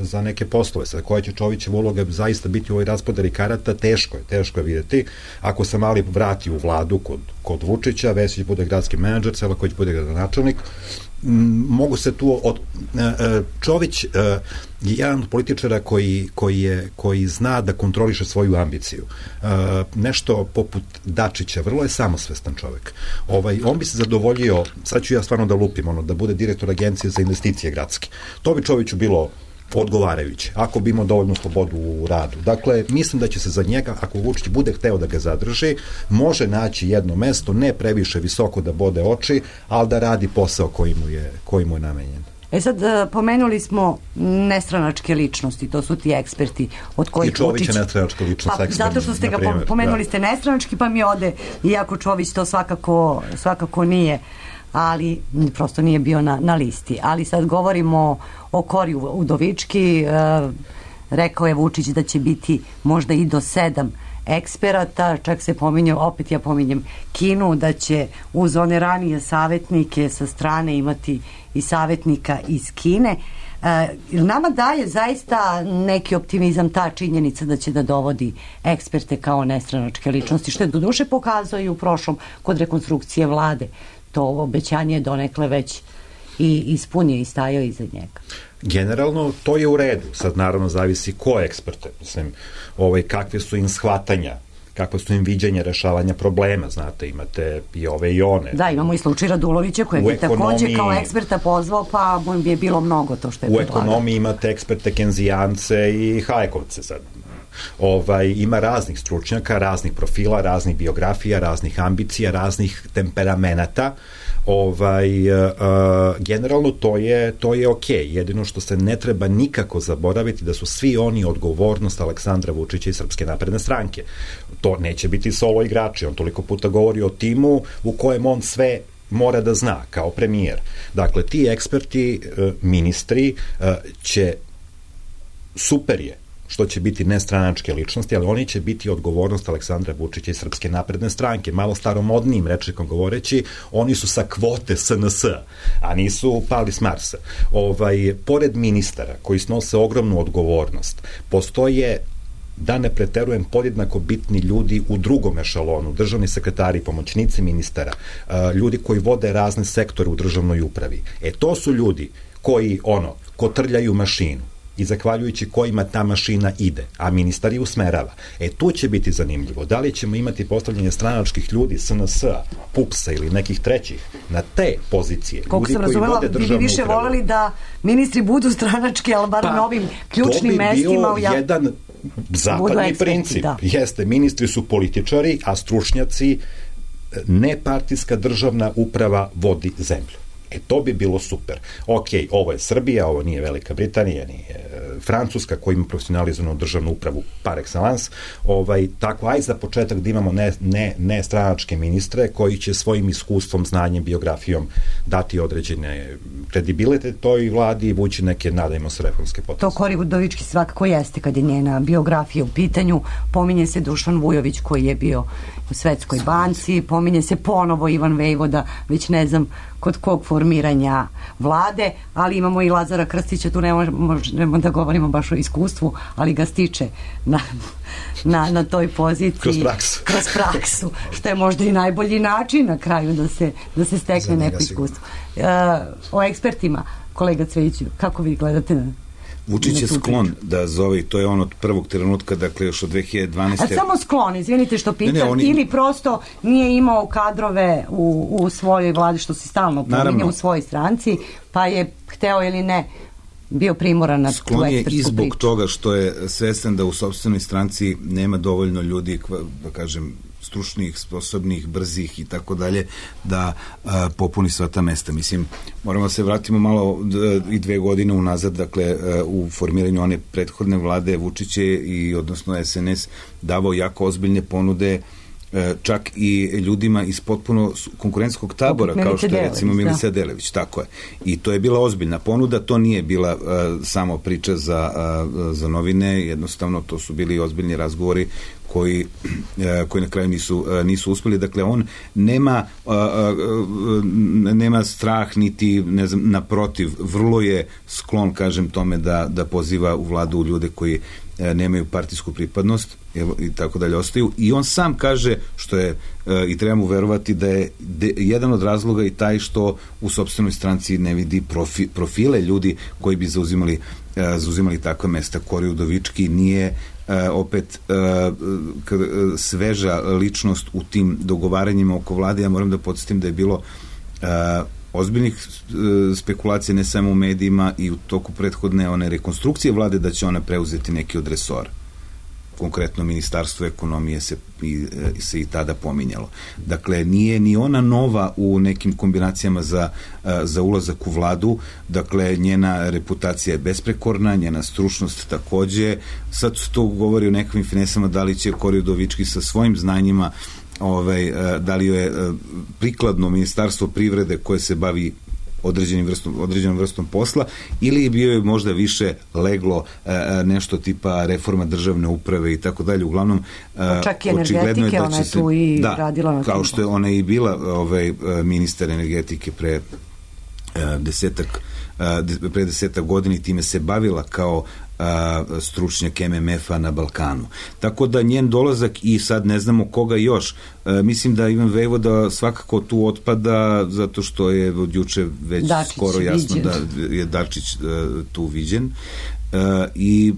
S9: za neke poslove. Sada koja će Čovićeva uloga zaista biti u ovoj raspodari karata, teško je vidjeti. Ako se Mali vrati u vladu kod Vučića, Vesić bude gradski menadžer, Selaković bude gradonačelnik, mogu se tu Čović je jedan od političara koji zna da kontroliše svoju ambiciju. Nešto poput Dačića, vrlo je samosvestan čovek. On bi se zadovoljio, sad ću ja stvarno da lupim, da bude direktor agencije za investicije gradske. To bi Čoviću bilo odgovarajuće, ako bi imao dovoljnu slobodu u radu. Dakle, mislim da će se za njega, ako Vučić bude hteo da ga zadrži, može naći jedno mesto, ne previše visoko da bode oči, ali da radi posao koji mu je namenjen.
S5: Sad, pomenuli smo nestranačke ličnosti, to su ti eksperti od kojih Vučić...
S9: I Čović je nestranačka ličnost, ekspert.
S5: Zato što ste ga pomenuli ste nestranački, pa mi ode, iako Čović to svakako nije, ali prosto nije bio na listi. Ali sad govorimo o Kori Udovički, rekao je Vučić da će biti možda i do 7 eksperata, čak se pominje, opet ja pominjem Kinu, da će uz one ranije savjetnike sa strane imati i savjetnika iz Kine. Nama daje zaista neki optimizam ta činjenica da će da dovodi eksperte kao nestranačke ličnosti, što je doduše pokazao i u prošlom kod rekonstrukcije vlade. To obećanje je donekle već i ispunio i stajao iza njega.
S9: Generalno, to je u redu. Sad naravno zavisi ko je eksperte. Mislim, kakve su im shvatanja, kakve su im viđenja rešavanja problema, znate, imate i ove i one.
S5: Da, imamo i slučaj Radulovića kojeg je takođe kao eksperta pozvao, pa mu je bilo mnogo to što je predlagao.
S9: U ekonomiji imate eksperte Kenzijance i Hajekovce sad. Ima raznih stručnjaka, raznih profila, raznih biografija, raznih ambicija, raznih temperamenata. Generalno to je okej. Jedino što se ne treba nikako zaboraviti da su svi oni odgovornost Aleksandra Vučića i Srpske napredne stranke. To neće biti solo igrači. On toliko puta govori o timu u kojem on sve mora da zna kao premijer. Dakle, ti eksperti, ministri će, super je što će biti nestranačke ličnosti, ali oni će biti odgovornost Aleksandra Vučića i Srpske napredne stranke. Malo staromodnijim rečnikom govoreći, oni su sa kvote SNS, a nisu pali s Marsa. Pored ministara koji snose ogromnu odgovornost, postoje, da ne preterujem, podjednako bitni ljudi u drugom ešalonu, državni sekretari, pomoćnici ministara, ljudi koji vode razne sektore u državnoj upravi. To su ljudi koji, kotrljaju mašinu i zahvaljujući kojima ta mašina ide, a ministar je usmerava. Tu će biti zanimljivo. Da li ćemo imati postavljanje stranačkih ljudi, SNS-a, PUPS-a ili nekih trećih na te pozicije?
S5: Koliko sam razumela, vi bi više voleli da ministri budu stranački, ali bar na ovim ključnim mestima.
S9: To bi bio jedan zapadni princip. Jeste, ministri su političari, a stručnjaci nepartijska državna uprava vodi zemlju. To bi bilo super. Ok, ovo je Srbija, ovo nije Velika Britanija, nije Francuska koja ima profesionalizovanu državnu upravu par excellence. Tako, aj za početak da imamo ne stranačke ministre koji će svojim iskustvom, znanjem, biografijom dati određene kredibilitet toj vladi i vući neke, nadajmo se, reformske poteze.
S5: To Kori Udovički svakako jeste kad je njena biografija u pitanju. Pominje se Dušan Vujović koji je bio u Svetskoj banci, pominje se ponovo Ivan Vejvoda, već ne znam kod kog formiranja vlade, ali imamo i Lazara Krstića, tu ne možemo da govorimo baš o iskustvu, ali ga stiče na toj poziciji. Kroz praksu, što je možda i najbolji način na kraju da se stekne neko iskustvo. O ekspertima, kolega Cvejiću, kako vi gledate na
S6: Vučić je sklon da zove, i to je on od prvog trenutka, dakle još od 2012.
S5: A samo sklon, izvinite što pitam, ili prosto nije imao kadrove u svojoj vladi, što se stalno pominje, u svojoj stranci, pa je hteo ili ne bio primoran na tu ekspertsku priču.
S6: Sklon je i zbog toga što je svestan da u sopstvenoj stranci nema dovoljno ljudi, da kažem, stručnih, sposobnih, brzih i tako dalje, da popuni sva ta mesta. Mislim, moramo se vratimo malo i 2 godine unazad, dakle, u formiranju one prethodne vlade Vučić je i odnosno SNS davao jako ozbiljne ponude čak i ljudima iz potpuno konkurentskog tabora, kao što je recimo Milica Delević, tako je. I to je bila ozbiljna ponuda, to nije bila samo priča za novine, jednostavno to su bili ozbiljni razgovori koji na kraju nisu uspeli. Dakle, on nema strah niti, ne znam, naprotiv, vrlo je sklon, kažem, tome da poziva u vladu ljude koji nemaju partijsku pripadnost i tako dalje ostaju. I on sam kaže, što je, i treba mu verovati, da je jedan od razloga i taj što u sopstvenoj stranci ne vidi profile ljudi koji bi zauzimali takva mesta. Kori Udovički nije opet sveža ličnost u tim dogovaranjima oko vlade. Ja moram da podsjetim da je bilo ozbiljnih spekulacija ne samo u medijima i u toku prethodne one rekonstrukcije vlade da će ona preuzeti neki od resora. Konkretno Ministarstvo ekonomije se i tada pominjalo. Dakle, nije ni ona nova u nekim kombinacijama za ulazak u vladu. Dakle, njena reputacija je besprekorna, njena stručnost takođe. Sad se to govori o nekakvim finesama, da li će Kori Udovički sa svojim znanjima, da li je prikladno Ministarstvo privrede koje se bavi određenom vrstom posla, ili bio je možda više leglo nešto tipa reforma državne uprave i tako dalje. Uglavnom,
S5: čak i energetike, ona je tu i radila na
S6: kao što je ona i bila ministar energetike pre 10 godina i time se bavila kao stručnjak MMF-a na Balkanu. Tako da njen dolazak i sad ne znamo koga još. Mislim da Ivan Vejvoda svakako tu otpada zato što je od juče već skoro jasno da je Dačić tu viđen i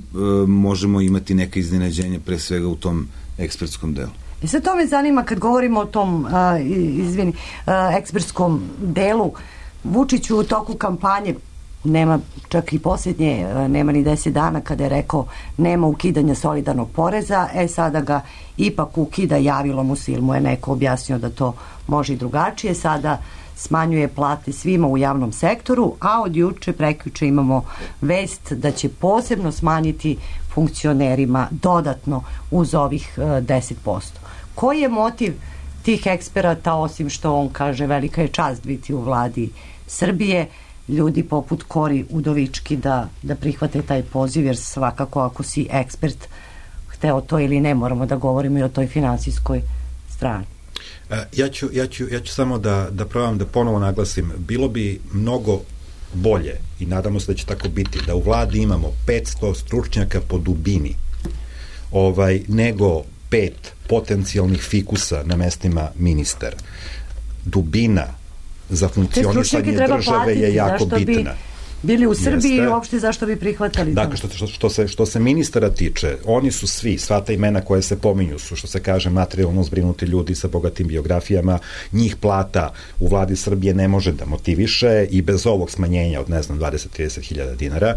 S6: možemo imati neke iznenađenja pre svega u tom ekspertskom delu.
S5: I sad to me zanima kad govorimo o tom ekspertskom delu. Vučić u toku kampanje nema čak i posljednje, nema ni 10 dana kada je rekao nema ukidanja solidarnog poreza, sada ga ipak ukida, javilo mu se ili mu je neko objasnio da to može i drugačije, sada smanjuje plate svima u javnom sektoru, a od juče, prekjuče imamo vest da će posebno smanjiti funkcionerima dodatno uz ovih 10%. Koji je motiv tih eksperata, osim što on kaže velika je čast biti u vladi Srbije, ljudi poput Kori Udovički da prihvate taj poziv, jer svakako ako si ekspert, hteo to ili ne, moramo da govorimo i o toj finansijskoj strani.
S9: Ja ću samo da probam da ponovo naglasim, bilo bi mnogo bolje i nadamo se da će tako biti, da u vladi imamo 500 stručnjaka po dubini, nego 5 potencijalnih fikusa na mestima ministara. Dubina za funkcionisanje države je jako bitna.
S5: bili u Srbiji i uopšte zašto bi prihvatali to?
S9: Dakle, što se ministara tiče, oni su sva ta imena koje se pominju su, što se kaže, materijalno zbrinuti ljudi sa bogatim biografijama, njih plata u vladi Srbije ne može da motiviše i bez ovog smanjenja od, 20-30 hiljada dinara,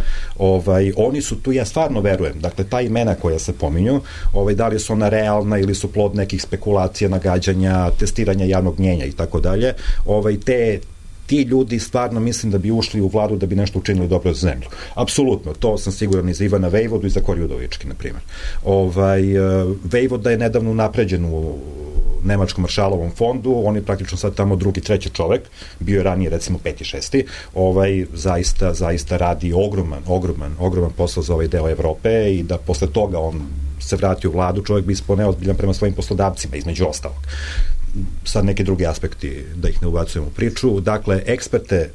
S9: oni su tu, ja stvarno verujem, dakle, ta imena koja se pominju, da li su ona realna ili su plod nekih spekulacija, nagađanja, testiranja javnog mnjenja i tako dalje, ti ljudi stvarno mislim da bi ušli u vladu da bi nešto učinili dobro za zemlju. Apsolutno, to sam siguran i za Ivana Vejvodu i za Kori Udovički, na primjer. Vejvoda je nedavno napređen u Nemačkom maršalovom fondu, on je praktično sad tamo drugi, treći čovek, bio je ranije recimo 5. 6. Zaista radi ogroman posao za ovaj deo Evrope i da posle toga on se vrati u vladu, čovjek bi ispao neozbiljan prema svojim poslodavcima, između ostalog. Sad neki drugi aspekti, da ih ne ubacujem u priču. Dakle, eksperte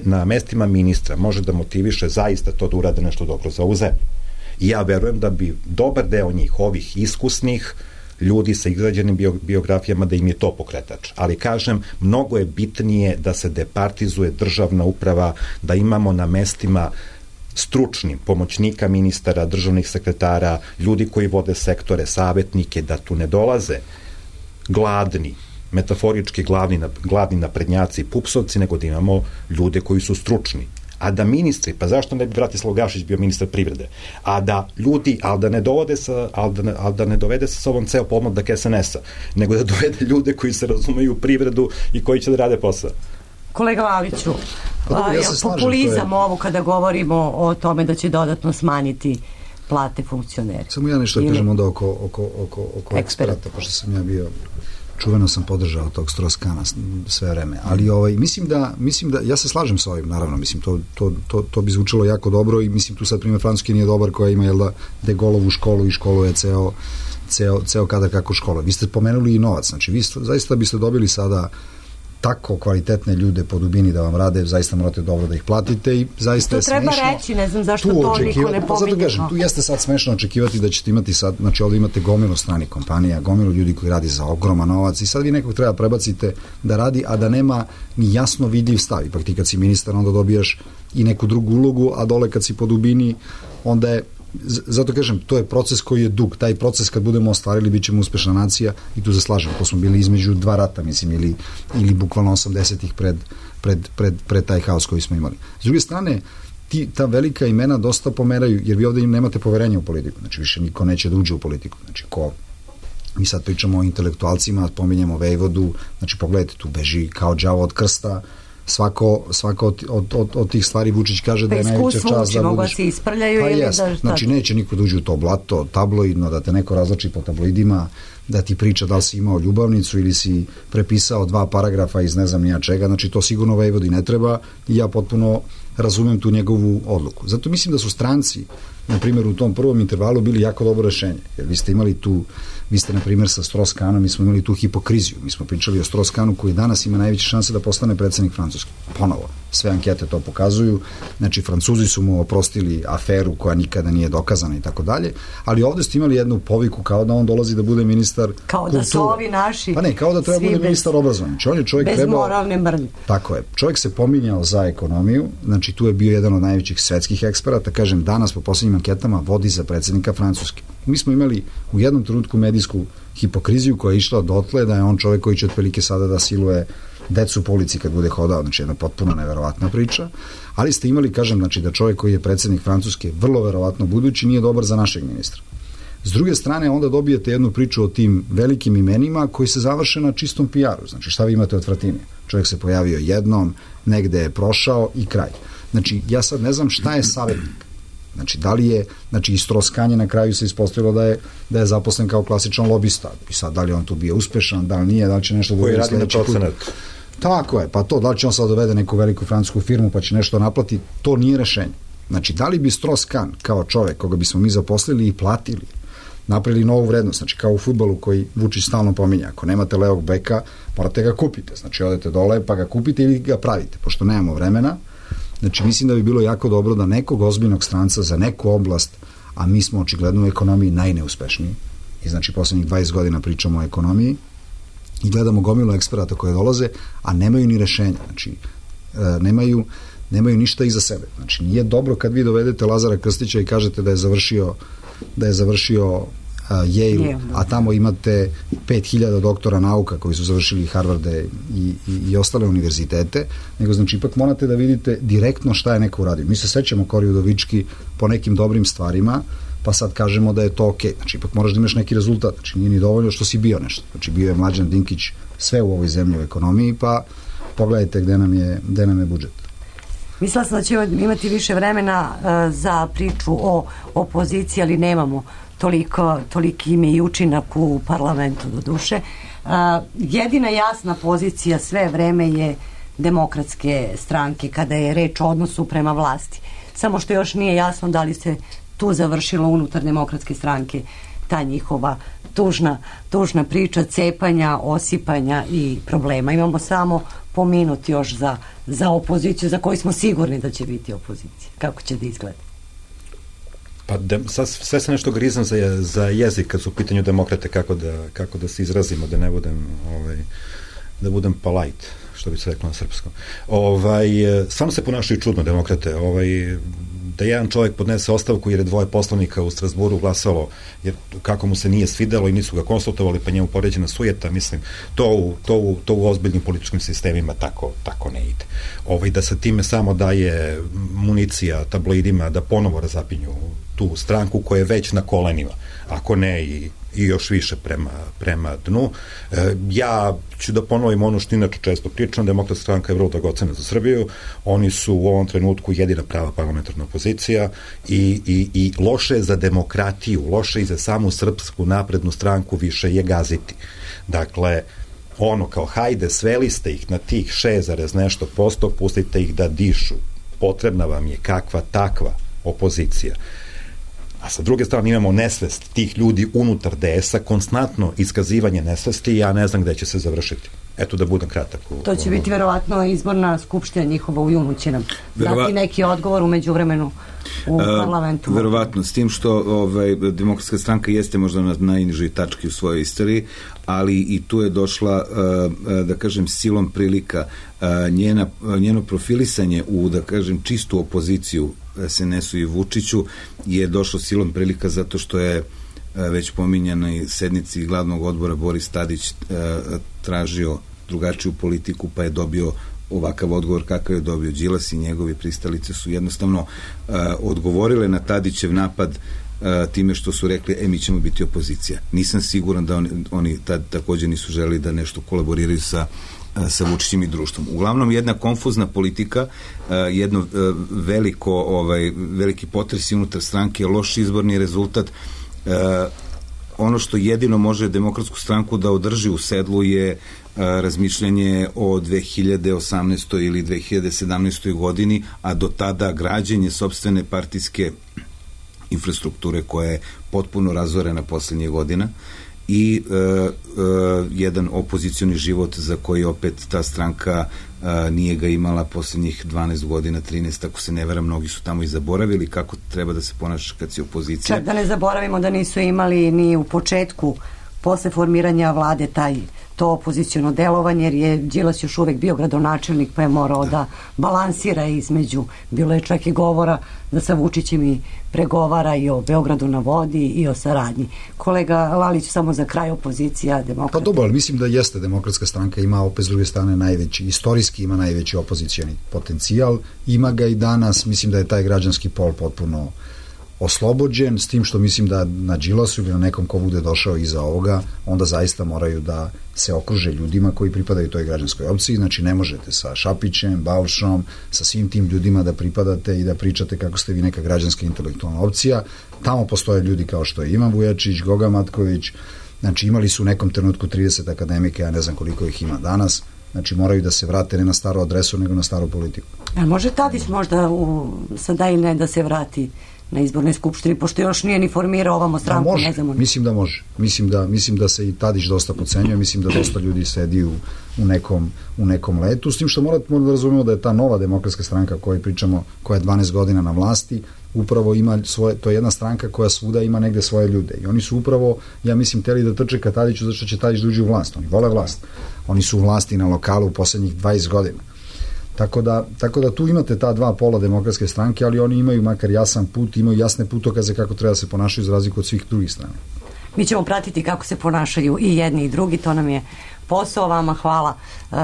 S9: na mestima ministra može da motiviše zaista to da urade nešto dobro za ovu zemlju. I ja verujem da bi dobar deo njih, ovih iskusnih ljudi sa izgrađenim biografijama, da im je to pokretač. Ali kažem, mnogo je bitnije da se departizuje državna uprava, da imamo na mestima stručnim pomoćnika ministara, državnih sekretara, ljudi koji vode sektore, savetnike, da tu ne dolaze gladni, metaforički gladni naprednjaci i pupsovci, nego da imamo ljude koji su stručni. A da ministri, pa zašto ne bi Bratislav Gašić bio ministar privrede? A da ljudi, ali da ne dovede sa sobom ceo pomladak SNS-a, nego da dovede ljude koji se razumeju u privredu i koji će da rade posao.
S5: Kolega Laviću, populizam ovo kada govorimo o tome da će dodatno smanjiti plate funkcioneri.
S8: Samo ja nešto kažem onda oko eksperata, pošto sam ja bio, čuveno sam podržao tog Stroskana sve vreme, ali mislim da, ja se slažem sa ovim, naravno, mislim, to bi zvučalo jako dobro i mislim tu sad primjer Francuski nije dobar koja ima, jel da, De Gaulleovu školu i školuje ceo kadar kako škola. Vi ste pomenuli i novac, znači vi zaista biste dobili sada tako kvalitetne ljude po dubini da vam rade, zaista morate dobro da ih platite i zaista je smešno.
S5: To treba reći, ne znam zašto to niko ne pominje.
S8: Zato kažem, tu jeste sad smešno očekivati da ćete imati sad, znači ovdje imate gomilu stranih kompanija, gomilu ljudi koji radi za ogroman novac i sad vi nekog treba prebacite da radi, a da nema ni jasno vidljiv stav. Ipak ti kad si ministar onda dobijaš i neku drugu ulogu, a dole kad si po dubini onda je, zato kažem, to je proces koji je dug, taj proces kad budemo ostvarili bit ćemo uspešna nacija i tu se slažem, to smo bili između dva rata, mislim, ili bukvalno 80-ih pred taj haos koji smo imali. S druge strane, ta velika imena dosta pomeraju, jer vi ovdje im nemate poverenja u politiku, znači više niko neće da uđe u politiku, znači mi sad pričamo o intelektualcima, pominjemo Vejvodu, znači pogledajte, tu beži kao đavo od krsta, svako od tih stvari Vučić kaže da je najveća čast da budeš.
S5: Se isprljaju ili da šta?
S8: Znači neće niko da uđe u to blato, tabloidno, da te neko razlači po tabloidima, da ti priča da li si imao ljubavnicu ili si prepisao 2 paragrafa iz ne znam nija čega, znači to sigurno Vejvodi ne treba i ja potpuno razumem tu njegovu odluku. Zato mislim da su stranci, na primjer, u tom prvom intervalu bili jako dobro rešenje, jer vi ste imali tu, vi ste, na primjer, sa Stroskanom, mi smo imali tu hipokriziju, mi smo pričali o Stroskanu koji danas ima najveće šanse da postane predsednik Francuske. Ponovo, sve ankete to pokazuju, znači Francuzi su mu oprostili aferu koja nikada nije dokazana i tako dalje, ali ovde ste imali jednu poviku kao da on dolazi da bude ministar
S5: kao
S8: kulture.
S5: Da su ovi naši.
S8: Pa ne, kao da treba bude ministar obrazovanja. Znači, on je čovjek
S5: bez moralne mrlje.
S8: Tako je. Čovjek se pominjao za ekonomiju, znači tu je bio jedan od najvećih svetskih eksperata, kažem, danas po poslednjim anketama vodi za predsednika Francuske. Mi smo imali u jednom trenutku medijsku hipokriziju koja je išla dotle da je on čovjek koji će otprilike sada da siluje decu po ulici kad bude hodao, znači jedna potpuno neverovatna priča, ali ste imali, kažem, znači da čovjek koji je predsednik Francuske vrlo verovatno budući nije dobar za našeg ministra. S druge strane, onda dobijete jednu priču o tim velikim imenima koji se završe na čistom PR-u. Znači, šta vi imate od Fratini? Čovjek se pojavio jednom, negde je prošao i kraj. Znači, ja sad ne znam šta je savjetnik. Znači, da li je, znači, i Stroskanje na kraju se ispostavilo da je zaposlen kao klasičan lobista. I sad, da li on tu bio uspešan, da li nije, da li će nešto da
S9: koji radi na procenat.
S8: Tako je, pa to, da li će on sad dovede neku veliku francusku firmu pa će nešto naplati, to nije rešenje. Znači, da li bi Stroskan kao čovek koga bismo mi zaposlili i platili, napravili novu vrednost, znači kao u fudbalu koji Vučić stalno pominja, ako nemate levog beka, morate ga kupite, znači odete dole pa ga kupite ili ga pravite, pošto nemamo vremena. Znači, mislim da bi bilo jako dobro da nekog ozbiljnog stranca za neku oblast, a mi smo očigledno u ekonomiji najneuspešniji, i znači poslednjih 20 godina pričamo o ekonomiji i gledamo gomilu eksperata koje dolaze, a nemaju ni rešenja, znači nemaju nemaju ništa iza sebe. Znači, nije dobro kad vi dovedete Lazara Krstića i kažete da je završio Yale, a tamo imate 5000 doktora nauka koji su završili Harvarde i ostale univerzitete, nego znači ipak morate da vidite direktno šta je neko uradio. Mi se sećamo Kori Udovički po nekim dobrim stvarima, pa sad kažemo da je to okej. Znači ipak moraš da imaš neki rezultat, znači nije ni dovoljno što si bio nešto. Znači bio je Mlađan Dinkić sve u ovoj zemlji u ekonomiji, pa pogledajte gde nam je budžet.
S5: Mislila sam da ćemo imati više vremena za priču o opoziciji, ali nemamo toliki ime i učinak u parlamentu do duše. Jedina jasna pozicija sve vreme je Demokratske stranke kada je reč o odnosu prema vlasti. Samo što još nije jasno da li se tu završilo unutar Demokratske stranke ta njihova tužna priča cepanja, osipanja i problema. Imamo samo po minut još za opoziciju za koju smo sigurni da će biti opozicija. Kako će da izgleda?
S9: Pa sve se nešto grizam za jezik kad su u pitanju demokrate, kako da se izrazimo, da ne budem da budem polite, što bi se reklo na srpskom. Stvarno se ponašaju čudno demokrate. Da jedan čovjek podnese ostavku jer je 2 poslanika u Strasburu glasalo, jer kako mu se nije svidelo i nisu ga konsultovali, pa njemu poređena sujeta, mislim, to u ozbiljnim političkim sistemima tako ne ide. Da se time samo daje municija tabloidima da ponovo razapinju tu stranku koja je već na kolenima, ako ne i još više prema dnu. Ja ću da ponovim ono što inače često pričam, Demokratska stranka je vrlo dragocena za Srbiju, oni su u ovom trenutku jedina prava parlamentarna opozicija i loše za demokratiju, loše i za samu Srpsku naprednu stranku više je gaziti. Dakle, kao hajde, sveli ste ih na tih 6, nešto posto, pustite ih da dišu. Potrebna vam je kakva takva opozicija. A sa druge strane imamo nesvest tih ljudi unutar DS-a, konstantno iskazivanje nesvesti i ja ne znam gde će se završiti. Eto, da budem kratak.
S5: To će biti verovatno izborna skupština njihova u junu, će nam dati neki odgovor umeđu vremenu u parlamentu.
S6: Verovatno, s tim što Demokratska stranka jeste možda na najnižoj tački u svojoj istoriji, ali i tu je došla, da kažem, silom prilika njeno profilisanje u, da kažem, čistu opoziciju SNS-u i Vučiću je došlo silom prilika zato što je već pominjanoj sednici glavnog odbora Boris Tadić tražio drugačiju politiku, pa je dobio ovakav odgovor kakav je dobio. Đilas i njegovi pristalice su jednostavno odgovorile na Tadićev napad time što su rekli, mi ćemo biti opozicija. Nisam siguran da oni također nisu želeli da nešto kolaboriraju sa Vučićem i društvom. Uglavnom, jedna konfuzna politika, jedno veliki potresi unutar stranke, loš izborni rezultat. Ono što jedino može Demokratsku stranku da održi u sedlu je razmišljanje o 2018. ili 2017. godini, a do tada građenje sopstvene partijske infrastrukture koja je potpuno razorena poslednjih godina i jedan opozicioni život za koji opet ta stranka nije ga imala poslednjih 12 godina, 13, ako se ne vera, mnogi su tamo i zaboravili kako treba da se ponaša kad si opozicija.
S5: Čak da ne zaboravimo da nisu imali ni u početku, posle formiranja vlade, to opoziciono delovanje, jer je Đilas još uvek bio gradonačelnik, pa je morao da balansira između, bilo je čak i govora da sa Vučićem i pregovara i o Beogradu na vodi i o saradnji. Kolega Lalić, samo za kraj, opozicija, demokrata.
S8: Pa dobro, ali mislim da jeste Demokratska stranka, ima opet s druge strane istorijski ima najveći opozicioni potencijal, ima ga i danas, mislim da je taj građanski pol potpuno oslobođen, s tim što mislim da na Đilasu ili na nekom ko bude došao iza ovoga, onda zaista moraju da se okruže ljudima koji pripadaju toj građanskoj opciji, znači ne možete sa Šapićem, Balšom, sa svim tim ljudima da pripadate i da pričate kako ste vi neka građanska intelektualna opcija. Tamo postoje ljudi kao što je Ivan Vujačić, Goga Matković, znači imali su u nekom trenutku 30 akademika, ja ne znam koliko ih ima danas, znači moraju da se vrate ne na staru adresu, nego na staru politiku.
S5: A može Tadić možda sada i ne da se vrati na izbornoj skupštini, pošto još nije ni formirao ovamo stranku,
S8: može,
S5: ne znamo.
S8: Mislim da može. Mislim da se i Tadić dosta podcenjuje, mislim da dosta ljudi sedi u nekom letu, s tim što moramo da razumemo da je ta nova Demokratska stranka o kojoj pričamo, koja je 12 godina na vlasti, upravo ima to je jedna stranka koja svuda ima negde svoje ljude i oni su upravo, ja mislim, teli da trče ka Tadiću zašto će Tadić da uđe u vlast, oni vole vlast, oni su u vlasti na lokalu u poslednjih 20 godina. Tako da tu imate ta dva pola Demokratske stranke, ali oni imaju makar jasan put, imaju jasne putokaze kako treba da se ponašaju za razliku od svih drugih strana.
S5: Mi ćemo pratiti kako se ponašaju i jedni i drugi, to nam je posao. Vama hvala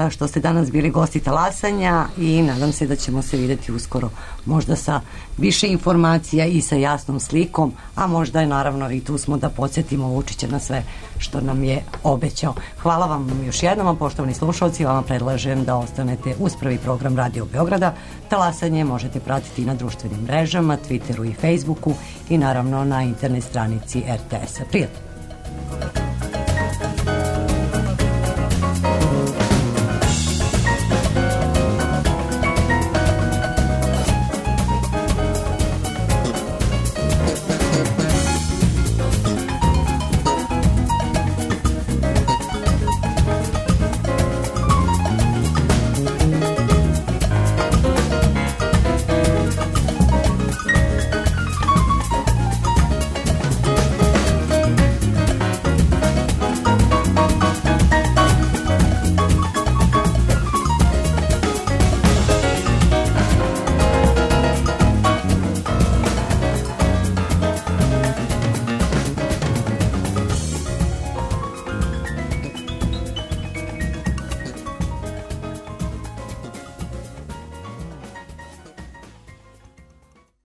S5: što ste danas bili gosti Talasanja i nadam se da ćemo se videti uskoro, možda sa više informacija i sa jasnom slikom, a možda je naravno i tu smo da podsjetimo Vučića na sve što nam je obećao. Hvala vam još jednom, a poštovani slušalci, vama predlažem da ostanete uz prvi program Radio Beograda. Talasanje možete pratiti i na društvenim mrežama, Twitteru i Facebooku i naravno na internet stranici RTS-a. Prijatno!